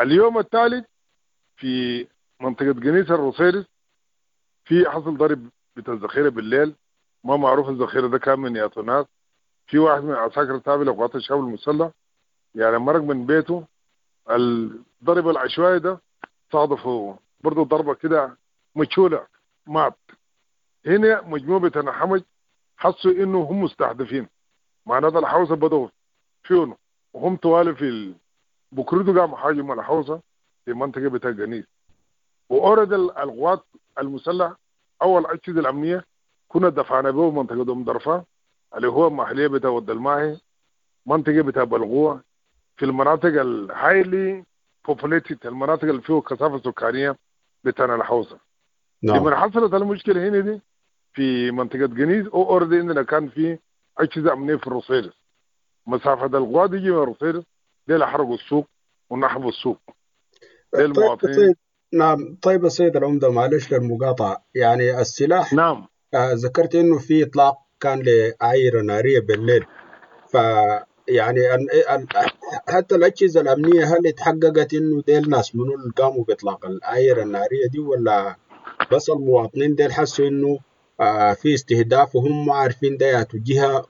اليوم الثالث في منطقة جنيس الروسيرس في حصل ضرب بتاع الذخيره بالليل، ما معروف الذخيره ده كان من ياتو ناس. في واحد من عساكر تابع لقوات الشعب المسلح يعني مرق من بيته، الضرب العشوائي ده صادفه برضه ضربه كده مجهولة مات. هنا مجموعة بتاع حمج حسوا انه هم مستهدفين، معناته الحوزه بدوا فيهم وهم طوال في بكرودو قاموا هاجموا الحوزه في منطقة بتاع جنيس. وأورد القوات المسلحة او الاجهزة الامنية كنا دفعنا به منطقة ام درفه اللي هو محليه بتاع ود الماهي، منطقة بتاع بلغوه، في المناطق ال highly populated، المناطق اللي فيها كثافة سكانية بتاع الحوزه. نعم. لما حصلت المشكلة هنا دي في منطقة جنيز او already عندنا كان في اجهزة امنية في الروسيرس، مسافة القوات يجي من الروسيرس ديل حرقوا السوق ونحبوا السوق. طيب. نعم. طيب السيد العمدة، معلش للمقاطعة، يعني السلاح، نعم، ذكرت انه في اطلاق كان لأعيرة نارية بالليل، ف يعني حتى الأجهزة الأمنية هل اتحققت انه ديل ناس منو اللي قاموا بإطلاق الأعيرة النارية دي، ولا بس المواطنين ديل حسوا انه في استهداف وهم ما عارفين ده ياتوا جهة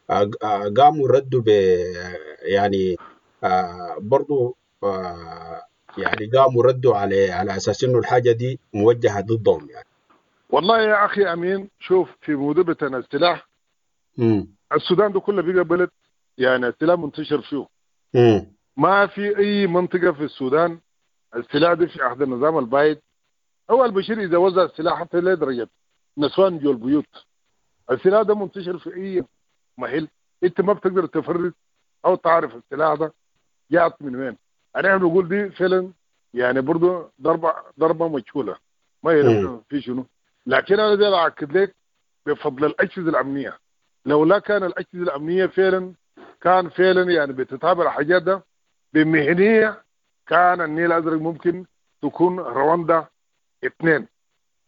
وقاموا ردوا ب يعني برضو يعني قاموا ردوا على اساس انه الحاجة دي موجهة ضدهم يعني؟ والله يا اخي امين، شوف في موضوع بتاع السلاح، السودان ده كله بقى بلد يعني السلاح منتشر فيه. ما في اي منطقة في السودان السلاح ده في عهد النظام البايد هو البشير اذا وزع السلاح حتى لدرجة نسوان جو البيوت، السلاح ده منتشر في اي محل، انت ما بتقدر تفرز او تعرف السلاح ده جاءت من وين. انا بنقول دي فعلا يعني برضه ضربه مجهولة ما يعرف في شنو، لكن انا ده اكد لك بفضل الاجهزة الامنية، لولا كان الاجهزة الامنية فعلا كان فعلا يعني بتتابع الحاجات ده بمهنيه كان النيل الازرق ممكن تكون رواندا 2.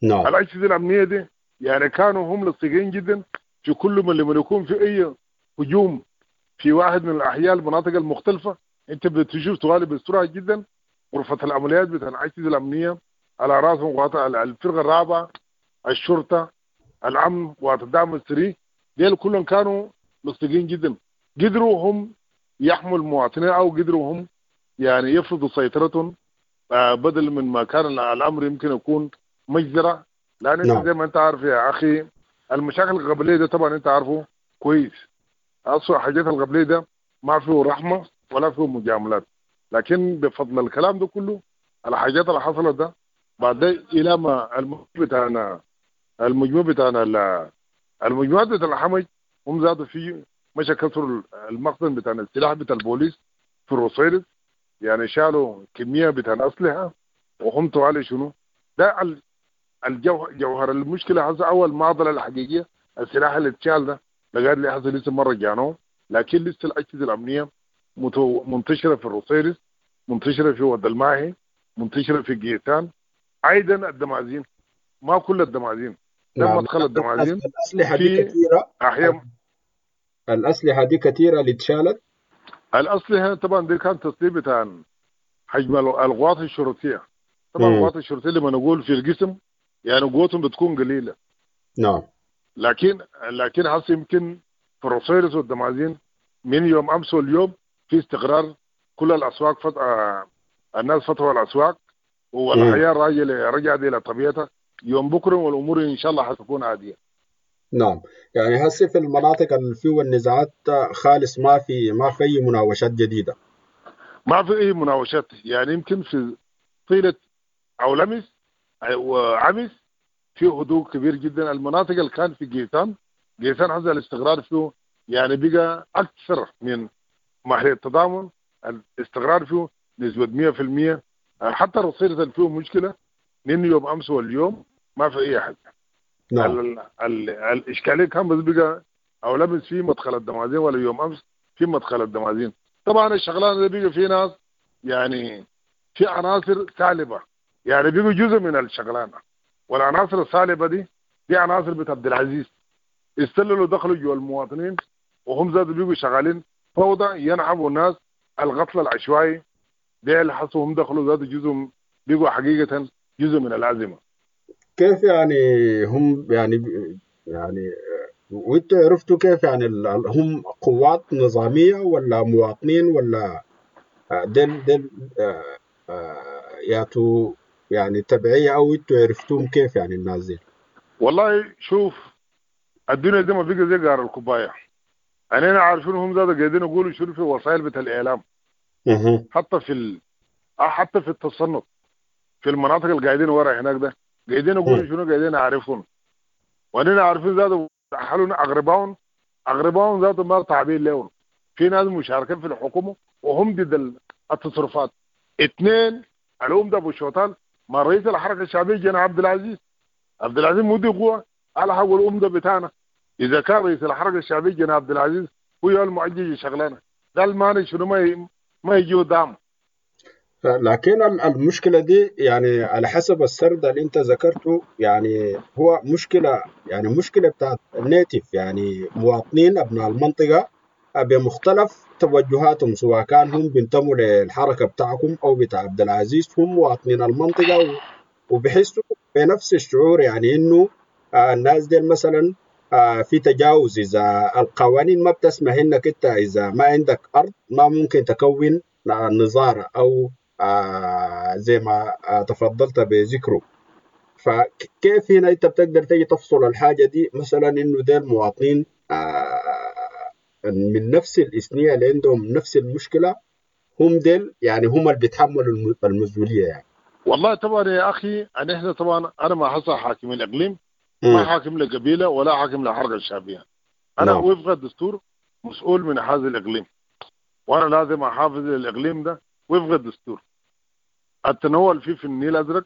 نعم. الاجهزة الامنية دي يعني كانوا هم لصيقين جدا في كل من لما يكون في اي هجوم في واحد من الاحياء المناطق المختلفة انت بتشوف طوالي بسرعة جدا غرفة العمليات بتاع الاجهزة الامنية على راسهم الفرقة الرابعة، الشرطة، الامن والدعم السري، ديل كلهم كانوا مصدقين جدا، قدروا هم يحموا المواطنين او قدروا هم يعني يفرضوا سيطرتهم بدل من ما كان الامر يمكن يكون مجزرة. لان انت زي ما انت عارف يا اخي المشاكل القبلية ده طبعا انت عارفه كويس، اصلا حاجات القبلية ده ما فيه رحمه ولا فيه مجاملات، لكن بفضل الكلام ده كله الحاجات اللي حصلت ده بعد الى ما المجموع بتاعنا المجموعات بتاع الحمج هم زادوا في مشى كسروا المخزن بتاع السلاح بتاع البوليس في الرصيرس، يعني شالوا كمية بتاع الاسلحة وهم طوالي شنو ده جوهر المشكلة. هسه اول معضلة الحقيقية السلاح اللي اتشال ده لغاية اللي حصل لسه ما رجعناه، لكن لسه الاجهزة الامنية منتشرة في الرصيرس، منتشرة في ود الماهي، منتشرة في قيتان، ايضا الدمازين، ما كل الدمازين لما مدخل الدمازين الاسلحة دي كثيرة احيانا، الاسلحة دي كثيرة اللي اتشالت. الاسلحة طبعا دي كان تصنيف بتاع حجم القوات الشرطية، طبعا القوات الشرطية لما نقول في القسم يعني قوتهم بتكون قليله. نعم. لكن هسه يمكن في الرصيرس والدمازين من يوم امس واليوم في استقرار، كل الاسواق الناس فتحوا الاسواق والحياة رجعت الى طبيعتها. يوم بكره والامور ان شاء الله حتكون عادية. نعم، يعني هسه في المناطق اللي فيه النزاعات خالص ما في اي مناوشات جديدة. ما في اي مناوشات، يعني يمكن في طيلة او لمس وعمس في هدوء كبير جدا. المناطق اللي كان في قيسان هذا الاستقرار فيه يعني بقى اكثر من محل التضامن، الاستقرار فيه نسبه 100%. حتى الرصيد اللي فيه مشكلة من يوم امس واليوم ما في اي حاجة. نعم. الاشكالية كان بس بقى او لمس في مدخل الدمازين ولا يوم امس في مدخل الدمازين. طبعا الشغلانة دي بقى في ناس يعني في عناصر سالبه، يعني بيبقوا جزء من الشغلانة، والعناصر السالبه دي عناصر بتاع عبد العزيز استللوا دخلوا جوا المواطنين وهم زادوا بيبقوا شغالين فوضى، ينعبوا الناس القتل العشوائي ده اللي حصلوا، هم دخلوا زادوا جزء بيبقوا حقيقة جزء من الازمة. كيف يعني هم يعني وانتوا عرفتوا كيف يعني هم قوات نظامية ولا مواطنين ولا دل ياتوا يعني تبعية، او انتوا عرفتوهم كيف يعني الناس دي؟ والله شوف الدنيا دي ما بقى زي قار الكوباية، انا عارفين هم زاد قاعدين يقولوا شنو في وسائل بتاع الاعلام، حتى في حتى في التصنت في المناطق اللي قاعدين ورا هناك ده قاعدين يقولوا شنو، قاعدين عارفون وانا عارفين زادوا حلونا اغرباهم زادوا ما تعبير لهم. في ناس مشاركين في الحكومة وهم ضد التصرفات. اثنين الأم ده ابو شوطان ما رئيس الحركة الشعبية جنا عبد العزيز مودي قوة على حق الام ده بتاعنا. اذا كان رئيس الحركة الشعبية جنا عبد العزيز هو المعجج شغلانة ده المانع شنو ما يجي دعم. لكن المشكلة دي يعني على حسب السرد اللي انت ذكرته يعني هو مشكلة، يعني مشكلة بتاعت النيتف، يعني مواطنين ابناء المنطقة بمختلف توجهاتهم، سواء كان هم بينتموا للحركة بتاعكم أو بتاع عبد العزيز، هم مواطنين المنطقة وبيحسوا بنفس الشعور، يعني إنه الناس دي مثلا في تجاوز. إذا القوانين ما بتسمح إنك أنت إذا ما عندك أرض ما ممكن تكون نظارة أو زي ما تفضلت بذكره. فكيف هنا أنت بتقدر تيجي تفصل الحاجة دي مثلا إنه ديل مواطنين من نفس الإثنية اللي عندهم نفس المشكلة، هم ديل يعني هم اللي بيتحملوا المسؤولية يعني؟ والله طبعا يا أخي أنا إحنا طبعا أنا ما حصل حاكم الإقليم، ما حاكم لقبيلة ولا حاكم لحركة الشعبية. أنا وفق الدستور مسؤول من هذا الإقليم، وأنا لازم أحافظ للإقليم ده وفق الدستور. التنوع اللي فيه في النيل الأزرق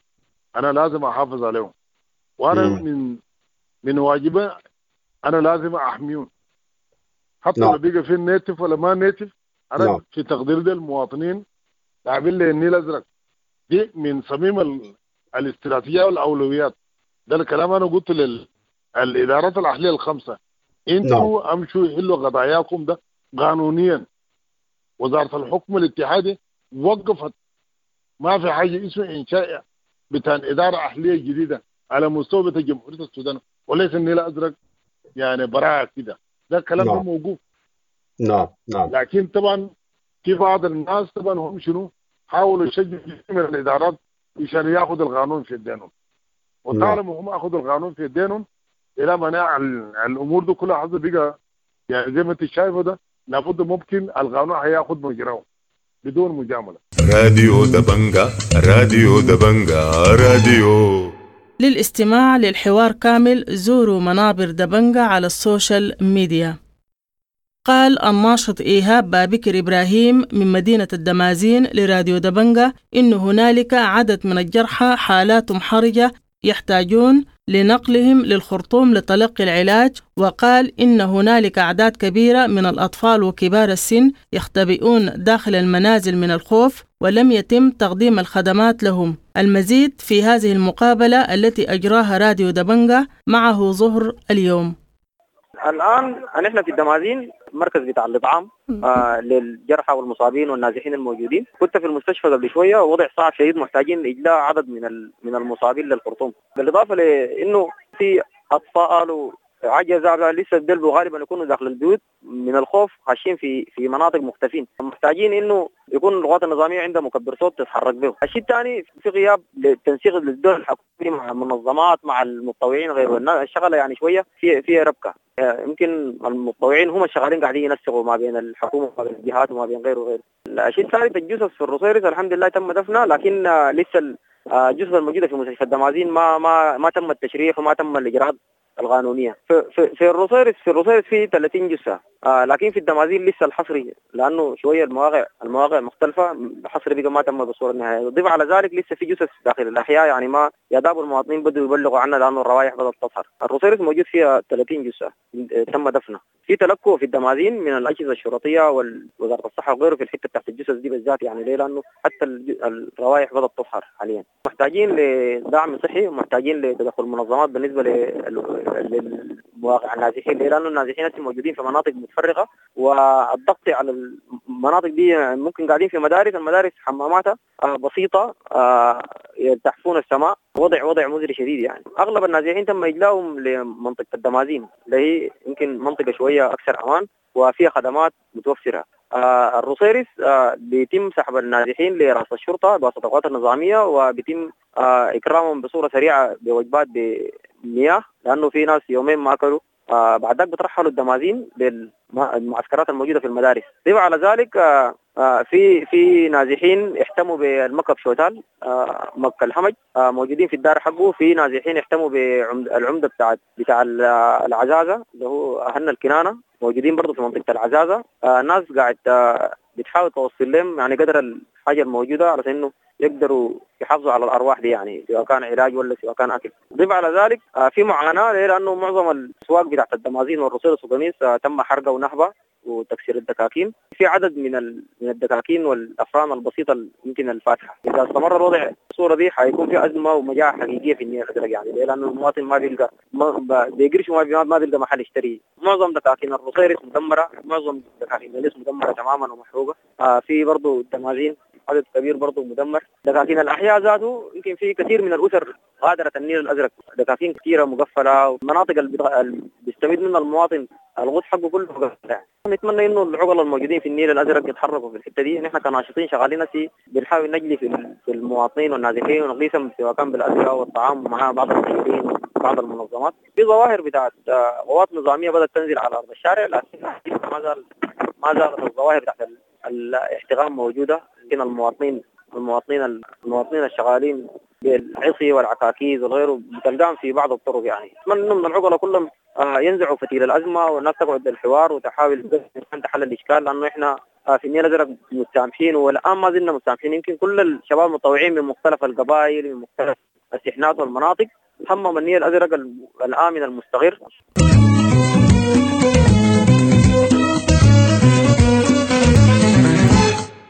أنا لازم أحافظ عليهم، وأنا من واجبي أنا لازم أحميهم حتى لو بقى في native ولا ما native. انا في تقدير ده المواطنين لاعبين لي النيل الازرق دي من صميم الاستراتيجية والاولويات. ده الكلام انا قلت للادارات الاهلية الخمسة، انتوا امشوا حلوا قضاياكم ده قانونيا. وزارة الحكم الاتحادي وقفت، ما في حاجة اسمها انشاء بتاع ادارة اهليه جديدة على مستوى بتاع جمهورية السودان وليس النيل الازرق. يعني براءة كده، ده الكلام ده موقوف. نعم نعم. لكن طبعا في بعض الناس طبعا هم شنو حاولوا يشجعوا من الادارات عشان ياخذوا القانون في يدينهم، وطالما هم اخذوا القانون في يدينهم الى منع الامور دي كلها حصل بقى يعني زي ما انت شايفه ده، لابد ممكن القانون هياخذ مجراه بدون مجاملة. راديو دبنجا، راديو دبنجا، راديو. للاستماع للحوار كامل زوروا منابر دبنجا على السوشيال ميديا. قال الناشط إيهاب بابكر إبراهيم من مدينة الدمازين لراديو دبنجا إن هنالك عدد من الجرحى حالات حرجة يحتاجون لنقلهم للخرطوم لتلقي العلاج، وقال إن هنالك أعداد كبيرة من الأطفال وكبار السن يختبئون داخل المنازل من الخوف ولم يتم تقديم الخدمات لهم. المزيد في هذه المقابلة التي أجراها راديو دبنجا معه ظهر اليوم. الآن نحن في الدمازين، مركز بتاع الإطعام للجرحى والمصابين والنازحين الموجودين. كنت في المستشفى قبل شوية، ووضع صعب شديد، محتاجين إجلاء عدد من المصابين للخرطوم، بالإضافة لأنه في أطفال وعجزة لسه الدلب غالبا يكونوا داخل البيوت من الخوف، خاشين في مناطق مختفين، محتاجين انه يكون القوات النظامية عندها مكبر صوت تتحرك به. الشيء الثاني في غياب للتنسيق للدول الحكومي مع المنظمات مع المتطوعين غيره، الشغلة يعني شوية في ربكه، يمكن المتطوعين هم الشغالين قاعدين ينسقوا ما بين الحكومة وما بين الجهات وما بين غيره وغيره. الشيء الثالث الجثث في الرصيرس الحمد لله تم دفنها، لكن لسه الجثث الموجودة في مستشفى الدمازين ما تم التشريح وما تم الاجراءات القانونية. في الرصيرس في 30 جثة، لكن في الدمازين لسه الحصري لانه شوية المواقع مختلفة، الحصر بقى ما تم بالصورة النهائية. ضيف على ذلك لسه في جثث داخل الاحياء، يعني ما يداب المواطنين بدوا يبلغوا عنها لانه الروائح بدات تظهر. الرصيرس موجود فيها 30 جثة تم دفنها. في تلكؤ في الدمازين من الاجهزة الشرطية ووزارة الصحة وغيره في الحتة تحت الجثث دي بالذات، يعني ليه؟ لانه حتى الروائح بدات تظهر حاليا. محتاجين لدعم صحي ومحتاجين لتدخل منظمات بالنسبة للمواقع النازحين، ليه؟ لانه النازحين موجودين في مناطق متفرقة، والضغط على المناطق دي ممكن قاعدين في مدارس، المدارس حماماتها بسيطة، يلتحفون السماء، وضع مزري شديد. يعني اغلب النازحين تم اجلاهم لمنطقه الدمازين اللي هي يمكن منطقة شوية اكثر امان وفيها خدمات متوفرة. الرصيرس بيتم سحب النازحين لراس الشرطة بواسطة القوات النظامية، وبيتم اكرامهم بصورة سريعة بوجبات بمياه لانه في ناس يومين ما اكلوا. بعد ذلك بترحلوا الدمازين للمعسكرات الموجودة في المدارس. ضيف على ذلك في نازحين احتموا بالمكب شوتال، مكة الحمج، موجودين في الدار حقه. في نازحين احتموا بالعمده بتاع العزازه اللي هو اهلنا الكنانه، موجودين برضه في منطقة العزازه. الناس قاعد بتحاول توصل لهم يعني قدر الحاجة الموجودة على انه يقدروا يحافظوا على الارواح دي، يعني سواء كان علاج ولا سواء كان اكل. ضيف على ذلك في معاناة لانه معظم الاسواق بتاعت الدمازين والرصيرس وقنيص تم حرقها ونهبها وتكسير الدكاكين. في عدد من الدكاكين والافران البسيطة يمكن الفاتحة. اذا استمر الوضع بالصورة دي حيكون في ازمة ومجاعه حقيقية في النيل الازرق، يعني لانه المواطن ما بيلقى بيقرش وما بيلقى محل يشتري. معظم دكاكين الرصيرس مدمرة، معظم دكاكين القنيص مدمرة تماما ومحروقه. في برضه الدمازين عدد كبير برضه مدمر. دكاكين الاحياء ذاته يمكن في كثير من الاسر غادرت النيل الازرق، دكاكين كثيرة مقفلة، والمناطق اللي بيستفيد منها المواطن الغوص حقه كله مقفل. يعني نتمنى انه العقلاء الموجودين في النيل الازرق يتحركوا في الحتة دي. نحن كناشطين شغالين في بنحاول نجلي في المواطنين والنازحين ونغيثهم سواء كان بالادوية والطعام ومع بعض المسؤولين وبعض المنظمات. في ظواهر بتاعت قوات نظامية بدات تنزل على ارض الشارع، لكن ما زالت الظواهر بتاعت الاحتقان موجودة. يمكن المواطنين الشغالين بالعصي والعكاكيز وغيره بتلقاهم في بعض الطرق. يعني اتمنى من العقلاء كلهم ينزعوا فتيل الازمة والناس تقعد للحوار وتحاول تحل الاشكال، لانه احنا في النيل الازرق متسامحين والان ما زلنا متسامحين. يمكن كل الشباب المتطوعين من مختلف القبائل من مختلف السحنات والمناطق همم النيل الازرق الامن المستقر.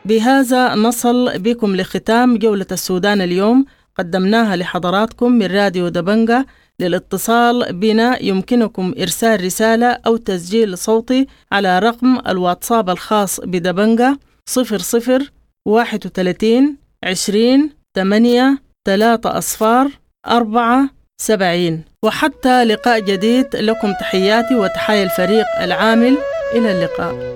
بهذا نصل بكم لختام جولة السودان اليوم قدمناها لحضراتكم من راديو دبنجة. للاتصال بنا يمكنكم إرسال رسالة أو تسجيل صوتي على رقم الواتساب الخاص بدبنجة 00 31 20 8 3 0 4 70. وحتى لقاء جديد، لكم تحياتي وتحايا الفريق العامل. إلى اللقاء.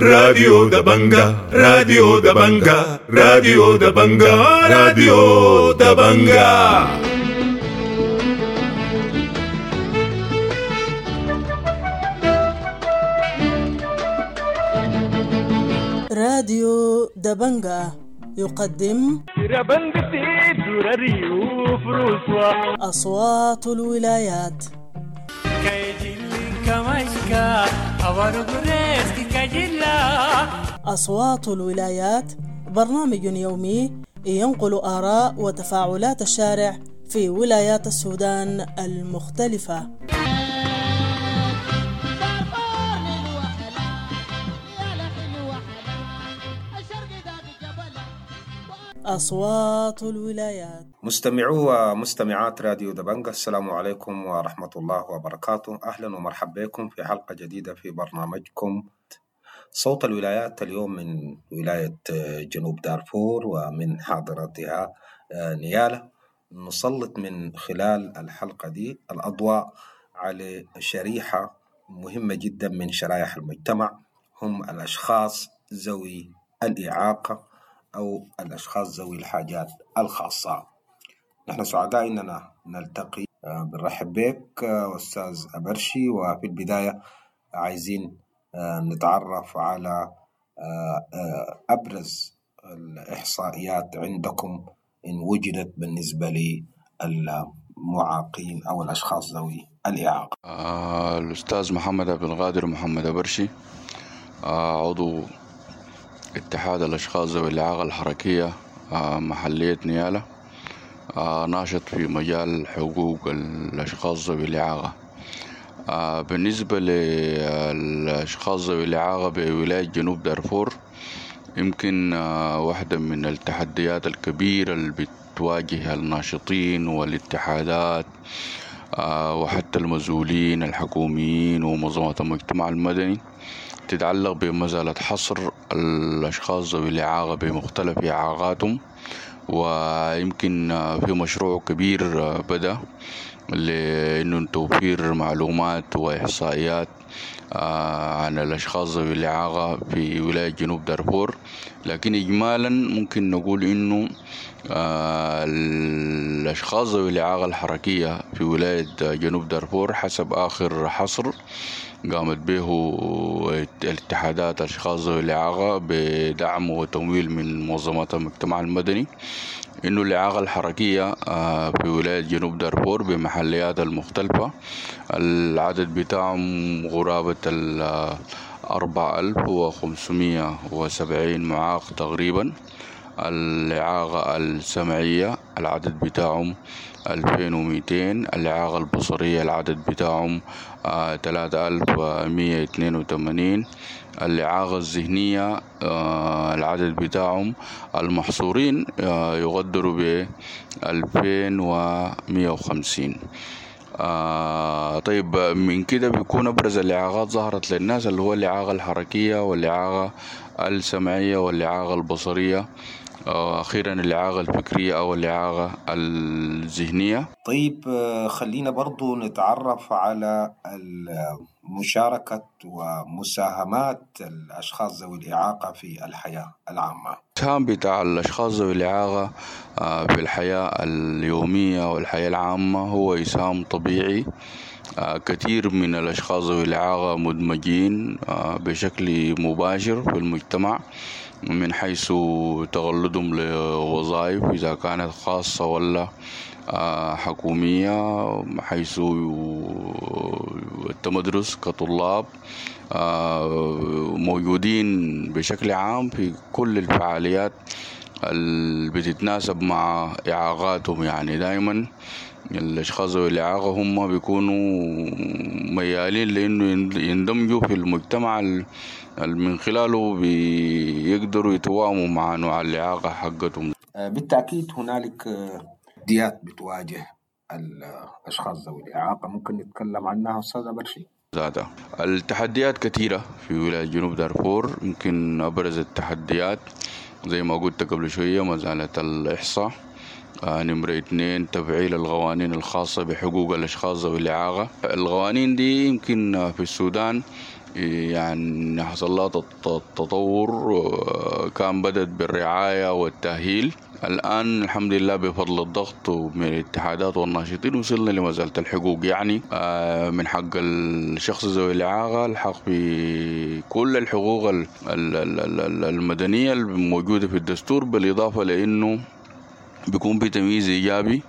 راديو دبنجا، راديو دبنجا، راديو دبنجا، راديو دبنجا. راديو دبنجا يقدم أصوات الولايات. أصوات الولايات برنامج يومي ينقل آراء وتفاعلات الشارع في ولايات السودان المختلفة. أصوات الولايات. مستمعو ومستمعات راديو دبنجا، السلام عليكم ورحمة الله وبركاته. أهلا ومرحبا بكم في حلقة جديدة في برنامجكم صوت الولايات. اليوم من ولاية جنوب دارفور ومن حاضرتها نيالا، نسلط من خلال الحلقة دي الأضواء على شريحة مهمة جدا من شرائح المجتمع، هم الأشخاص ذوي الإعاقة أو الأشخاص ذوي الحاجات الخاصة. نحن سعداء أننا نلتقي. بنرحب بك أستاذ أبرشي، وفي البداية عايزين نتعرف على أبرز الإحصائيات عندكم إن وجدت بالنسبة للمعاقين أو الأشخاص ذوي الإعاقة. الأستاذ محمد عبد القادر محمد أبرشي، عضو اتحاد الأشخاص ذوي الإعاقة الحركية محلية نيالا، ناشط في مجال حقوق الأشخاص ذوي الإعاقة. بالنسبة للأشخاص ذوي الإعاقة بولاية جنوب دارفور، يمكن واحدة من التحديات الكبيرة اللي بتواجه الناشطين والاتحادات وحتى المسؤولين الحكوميين ومنظمات المجتمع المدني تتعلق بمسألة حصر الأشخاص ذوي الإعاقة بمختلف إعاقاتهم. ويمكن في مشروع كبير بدأ لأنه توفير معلومات وإحصائيات عن الأشخاص ذوي الإعاقة في ولاية جنوب دارفور، لكن إجمالا ممكن نقول إنه الأشخاص ذوي الإعاقة الحركية في ولاية جنوب دارفور حسب آخر حصر قامت به الاتحادات أشخاص ذوي الإعاقة بدعم وتمويل من منظمات المجتمع المدني، إنه الإعاقة الحركية في ولاية جنوب دارفور بمحليات المختلفة العدد بتاعهم قرابة 4570 معاق تقريبا. الإعاقة السمعية العدد بتاعهم 2200، الإعاقة البصرية العدد بتاعهم 3182، الإعاقة الذهنية العدد بتاعهم المحصورين يقدروا ب 2150. طيب من كده بيكون أبرز الإعاقات ظهرت للناس اللي هو الإعاقة الحركية والإعاقة السمعية والإعاقة البصرية، أخيرا الإعاقة الفكرية أو الإعاقة الذهنية. طيب خلينا برضو نتعرف على مشاركة ومساهمات الأشخاص ذوي الإعاقة في الحياة العامة؟ الإسهام بتاع الأشخاص ذوي الإعاقة في الحياة اليومية والحياة العامة هو إسهام طبيعي. كثير من الأشخاص ذوي الإعاقة مدمجين بشكل مباشر في المجتمع، من حيث تغلدهم لوظائف إذا كانت خاصة ولا حكومية، حيث التمدرس كطلاب موجودين بشكل عام في كل الفعاليات اللي بتتناسب مع إعاقاتهم. يعني دايما الأشخاص ذوي الإعاقة هم بيكونوا ميالين لأنه يندمجوا في المجتمع من خلاله بيقدروا يتوائموا مع نوع الإعاقة حقتهم. بالتأكيد هنالك تحديات بتواجه الأشخاص ذوي الإعاقة، ممكن نتكلم عنها أستاذ برشي؟ ذاتها التحديات كثيرة في ولاية جنوب دارفور. يمكن أبرز التحديات زي ما قلت قبل شوية مسألة الإحصاء، نمرة 2 تفعيل القوانين الخاصة بحقوق الأشخاص ذوي الإعاقة. القوانين دي يمكن في السودان يعني حصل لها تطور، كان بدأت بالرعاية والتأهيل. الآن الحمد لله بفضل الضغط من الاتحادات والناشطين وصلنا لمسألة الحقوق. يعني من حق الشخص ذوي الإعاقة الحق في كل الحقوق المدنية الموجودة في الدستور، بالإضافة لأنه بيكون في تمييز إيجابي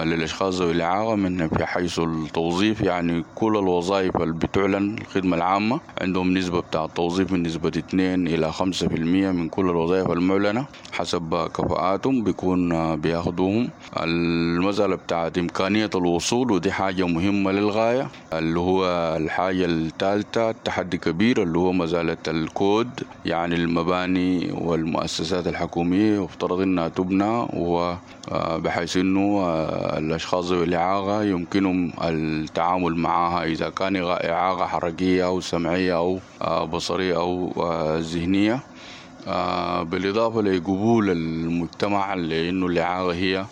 للأشخاص ذوي الإعاقة من في حيث التوظيف. يعني كل الوظائف اللي بتعلن الخدمة العامة عندهم نسبة بتاع التوظيف من نسبة 2 إلى 5% من كل الوظائف المعلنة حسب كفاءاتهم بيكون بياخدوهم. المسألة بتاعت إمكانية الوصول، ودي حاجة مهمة للغاية، اللي هو الحاجة الثالثة تحدي كبير اللي هو مسألة الكود. يعني المباني والمؤسسات الحكومية يفترض إنها تبنى وبحيث إنه الأشخاص ذوي الإعاقة يمكنهم التعامل معها إذا كان إعاقة حركية أو سمعية أو بصرية أو ذهنية، بالإضافة لقبول المجتمع لأنه الإعاقة هي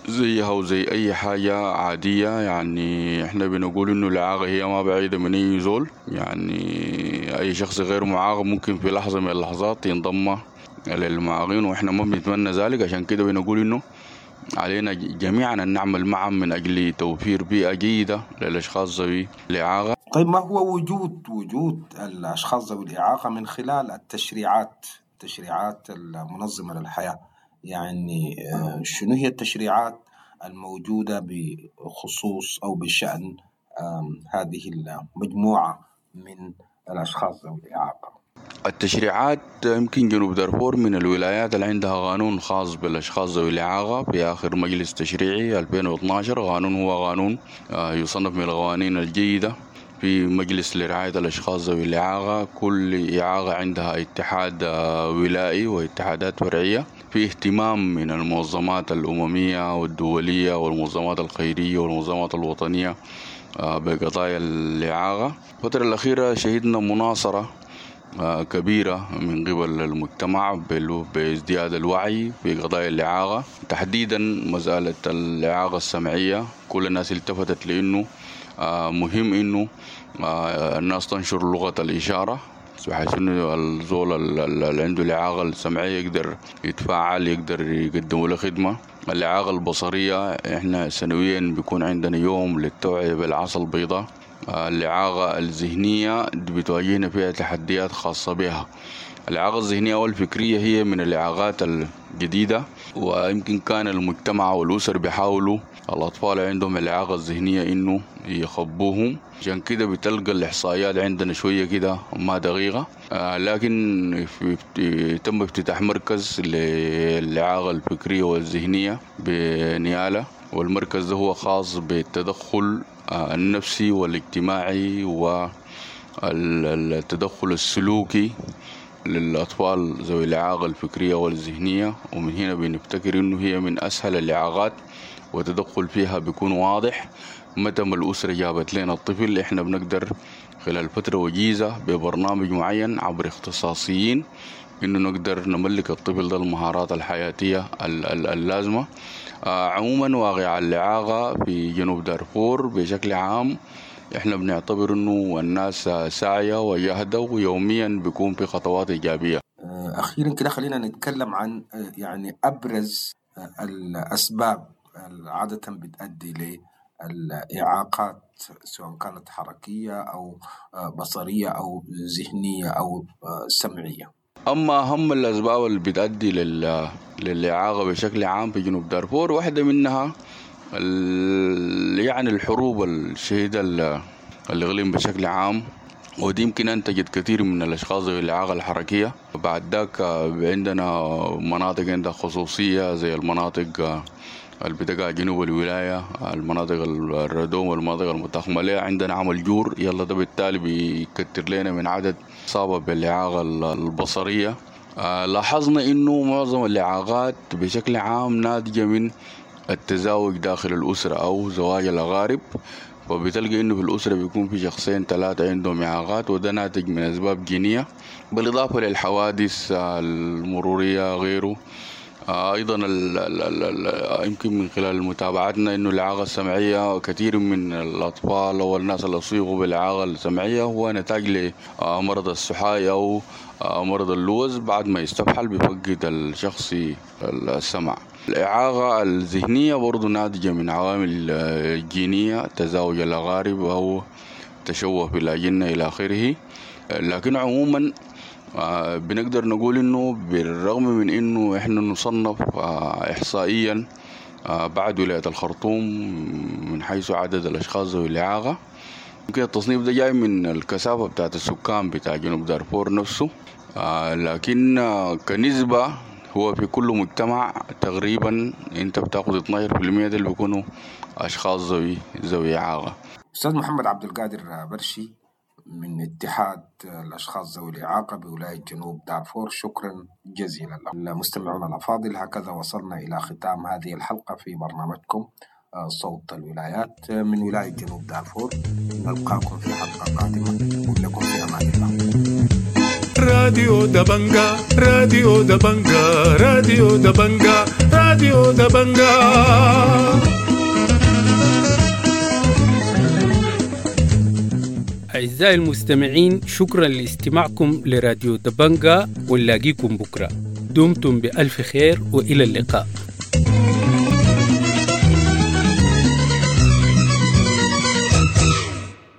زيها وزي أي حاجة عادية. يعني إحنا بنقول إنه الإعاقة هي ما بعيدة من أي زول، يعني أي شخص غير معاق ممكن في لحظة من اللحظات ينضم للمعاقين، وإحنا ما بنتمنى ذلك. عشان كده بنقول إنه علينا جميعا أن نعمل معا من أجل توفير بيئة جيدة للأشخاص ذوي الإعاقة. طيب، ما هو وجود الأشخاص ذوي الإعاقة من خلال التشريعات المنظمة للحياة؟ يعني شنو هي التشريعات الموجودة بخصوص أو بشأن هذه المجموعة من الأشخاص ذوي الإعاقة؟ التشريعات يمكن جنوب دارفور من الولايات اللي عندها قانون خاص بالأشخاص ذوي الإعاقة. في آخر مجلس تشريعي 2012 قانون هو قانون يصنف من القوانين الجيدة. في مجلس لرعاية الأشخاص ذوي الإعاقة، كل إعاقة عندها اتحاد ولائي واتحادات فرعية. في اهتمام من المنظمات الأممية والدولية والمنظمات الخيرية والمنظمات الوطنية بقضايا الإعاقة. الفترة الأخيرة شهدنا مناصرة كبيرة من قبل المجتمع بازدياد الوعي في قضايا الإعاقة، تحديدا مسألة الإعاقة السمعية. كل الناس التفتت لأنه مهم إنه الناس تنشر لغة الإشارة، بحيث إنه الزول اللي عنده الإعاقة السمعية يقدر يتفاعل، يقدر يقدم له خدمة. الإعاقة البصرية إحنا سنويا بيكون عندنا يوم للتوعية بالعصا البيضاء. الإعاقة الذهنية بتواجهنا فيها تحديات خاصة بها. الإعاقة الذهنية والفكرية هي من الإعاقات الجديدة، ويمكن كان المجتمع والأسر بيحاولوا الأطفال عندهم الإعاقة الذهنية إنه يخبوهم، عشان كده بتلقى الإحصائيات عندنا شوية كده ما دقيقة. لكن تم افتتاح مركز للإعاقة الفكرية والذهنية بنيالة، والمركز ده هو خاص بالتدخل النفسي والاجتماعي والتدخل السلوكي للأطفال ذوي الإعاقة الفكرية والذهنية. ومن هنا بنفتكر إنه هي من أسهل الإعاقات وتدخل فيها بيكون واضح. متى ما الأسرة جابت لنا الطفل إحنا بنقدر خلال فترة وجيزة ببرنامج معين عبر اختصاصيين إنه نقدر نملك الطفل ده المهارات الحياتية اللازمة. عموما واقع الإعاقة في جنوب دارفور بشكل عام احنا بنعتبر انه الناس ساعية وجاهدة، ويوميا بيكون في خطوات إيجابية. أخيرا كده خلينا نتكلم عن يعني أبرز الأسباب عادة بتؤدي للإعاقات، سواء كانت حركية أو بصرية أو ذهنية أو سمعية. أما أهم الأسباب اللي بتؤدي للإعاقة بشكل عام في جنوب دارفور، واحدة منها يعني الحروب الشهيدة الإقليم بشكل عام، ودي يمكن أنتجت كثير من الأشخاص ذوي الإعاقة الحركية. بعد ذاك عندنا مناطق عندها خصوصية زي المناطق اللي بتقع جنوب الولاية، المناطق الردوم والمناطق المتاخمة لها عندنا عمل جور، يلا ده بالتالي بيكتر لنا من عدد إصابة بالإعاقة البصرية. لاحظنا إنه معظم الإعاقات بشكل عام ناتجة من التزاوج داخل الأسرة أو زواج الأقارب، وبتلقى إنه في الأسرة بيكون في شخصين 3 عندهم إعاقات، وده ناتج من أسباب جينية، بالإضافة للحوادث المرورية غيره. أيضا يمكن من خلال متابعتنا إنه الإعاقة السمعية كثير من الأطفال أو الناس اللي أصيبوا بالإعاقة السمعية هو نتاج لمرض السحاي أو مرض اللوز، بعد ما يستفحل بيفقد الشخص السمع. الإعاقة الذهنية برضو ناتجة من عوامل جينية، تزاوج الأقارب أو تشوه في الأجنة إلى آخره. لكن عموما بنقدر نقول إنه بالرغم من إنه إحنا نصنف إحصائيا بعد ولاية الخرطوم من حيث عدد الأشخاص ذوي الإعاقة، يمكن التصنيف ده جاي من الكثافة بتاعت السكان بتاع جنوب دارفور نفسه، لكن كنسبة هو في كل مجتمع تقريبا انت بتاخد 12% اللي بيكونوا اشخاص ذوي اعاقه. استاذ محمد عبد القادر برشي من اتحاد الاشخاص ذوي الاعاقه بولايه جنوب دارفور، شكرا جزيلا للمستمعون الافاضل. هكذا وصلنا الى ختام هذه الحلقه في برنامجكم صوت الولايات من ولايه جنوب دارفور. نلقاكم في حلقه قادمه، ولكم في امان الله. راديو دبنجا، راديو دبنجا، راديو دبنجا، راديو دبنجا. أعزائي المستمعين، شكرا لاستماعكم لراديو دبنجا، ونلاقيكم بكرة. دمتم بألف خير وإلى اللقاء.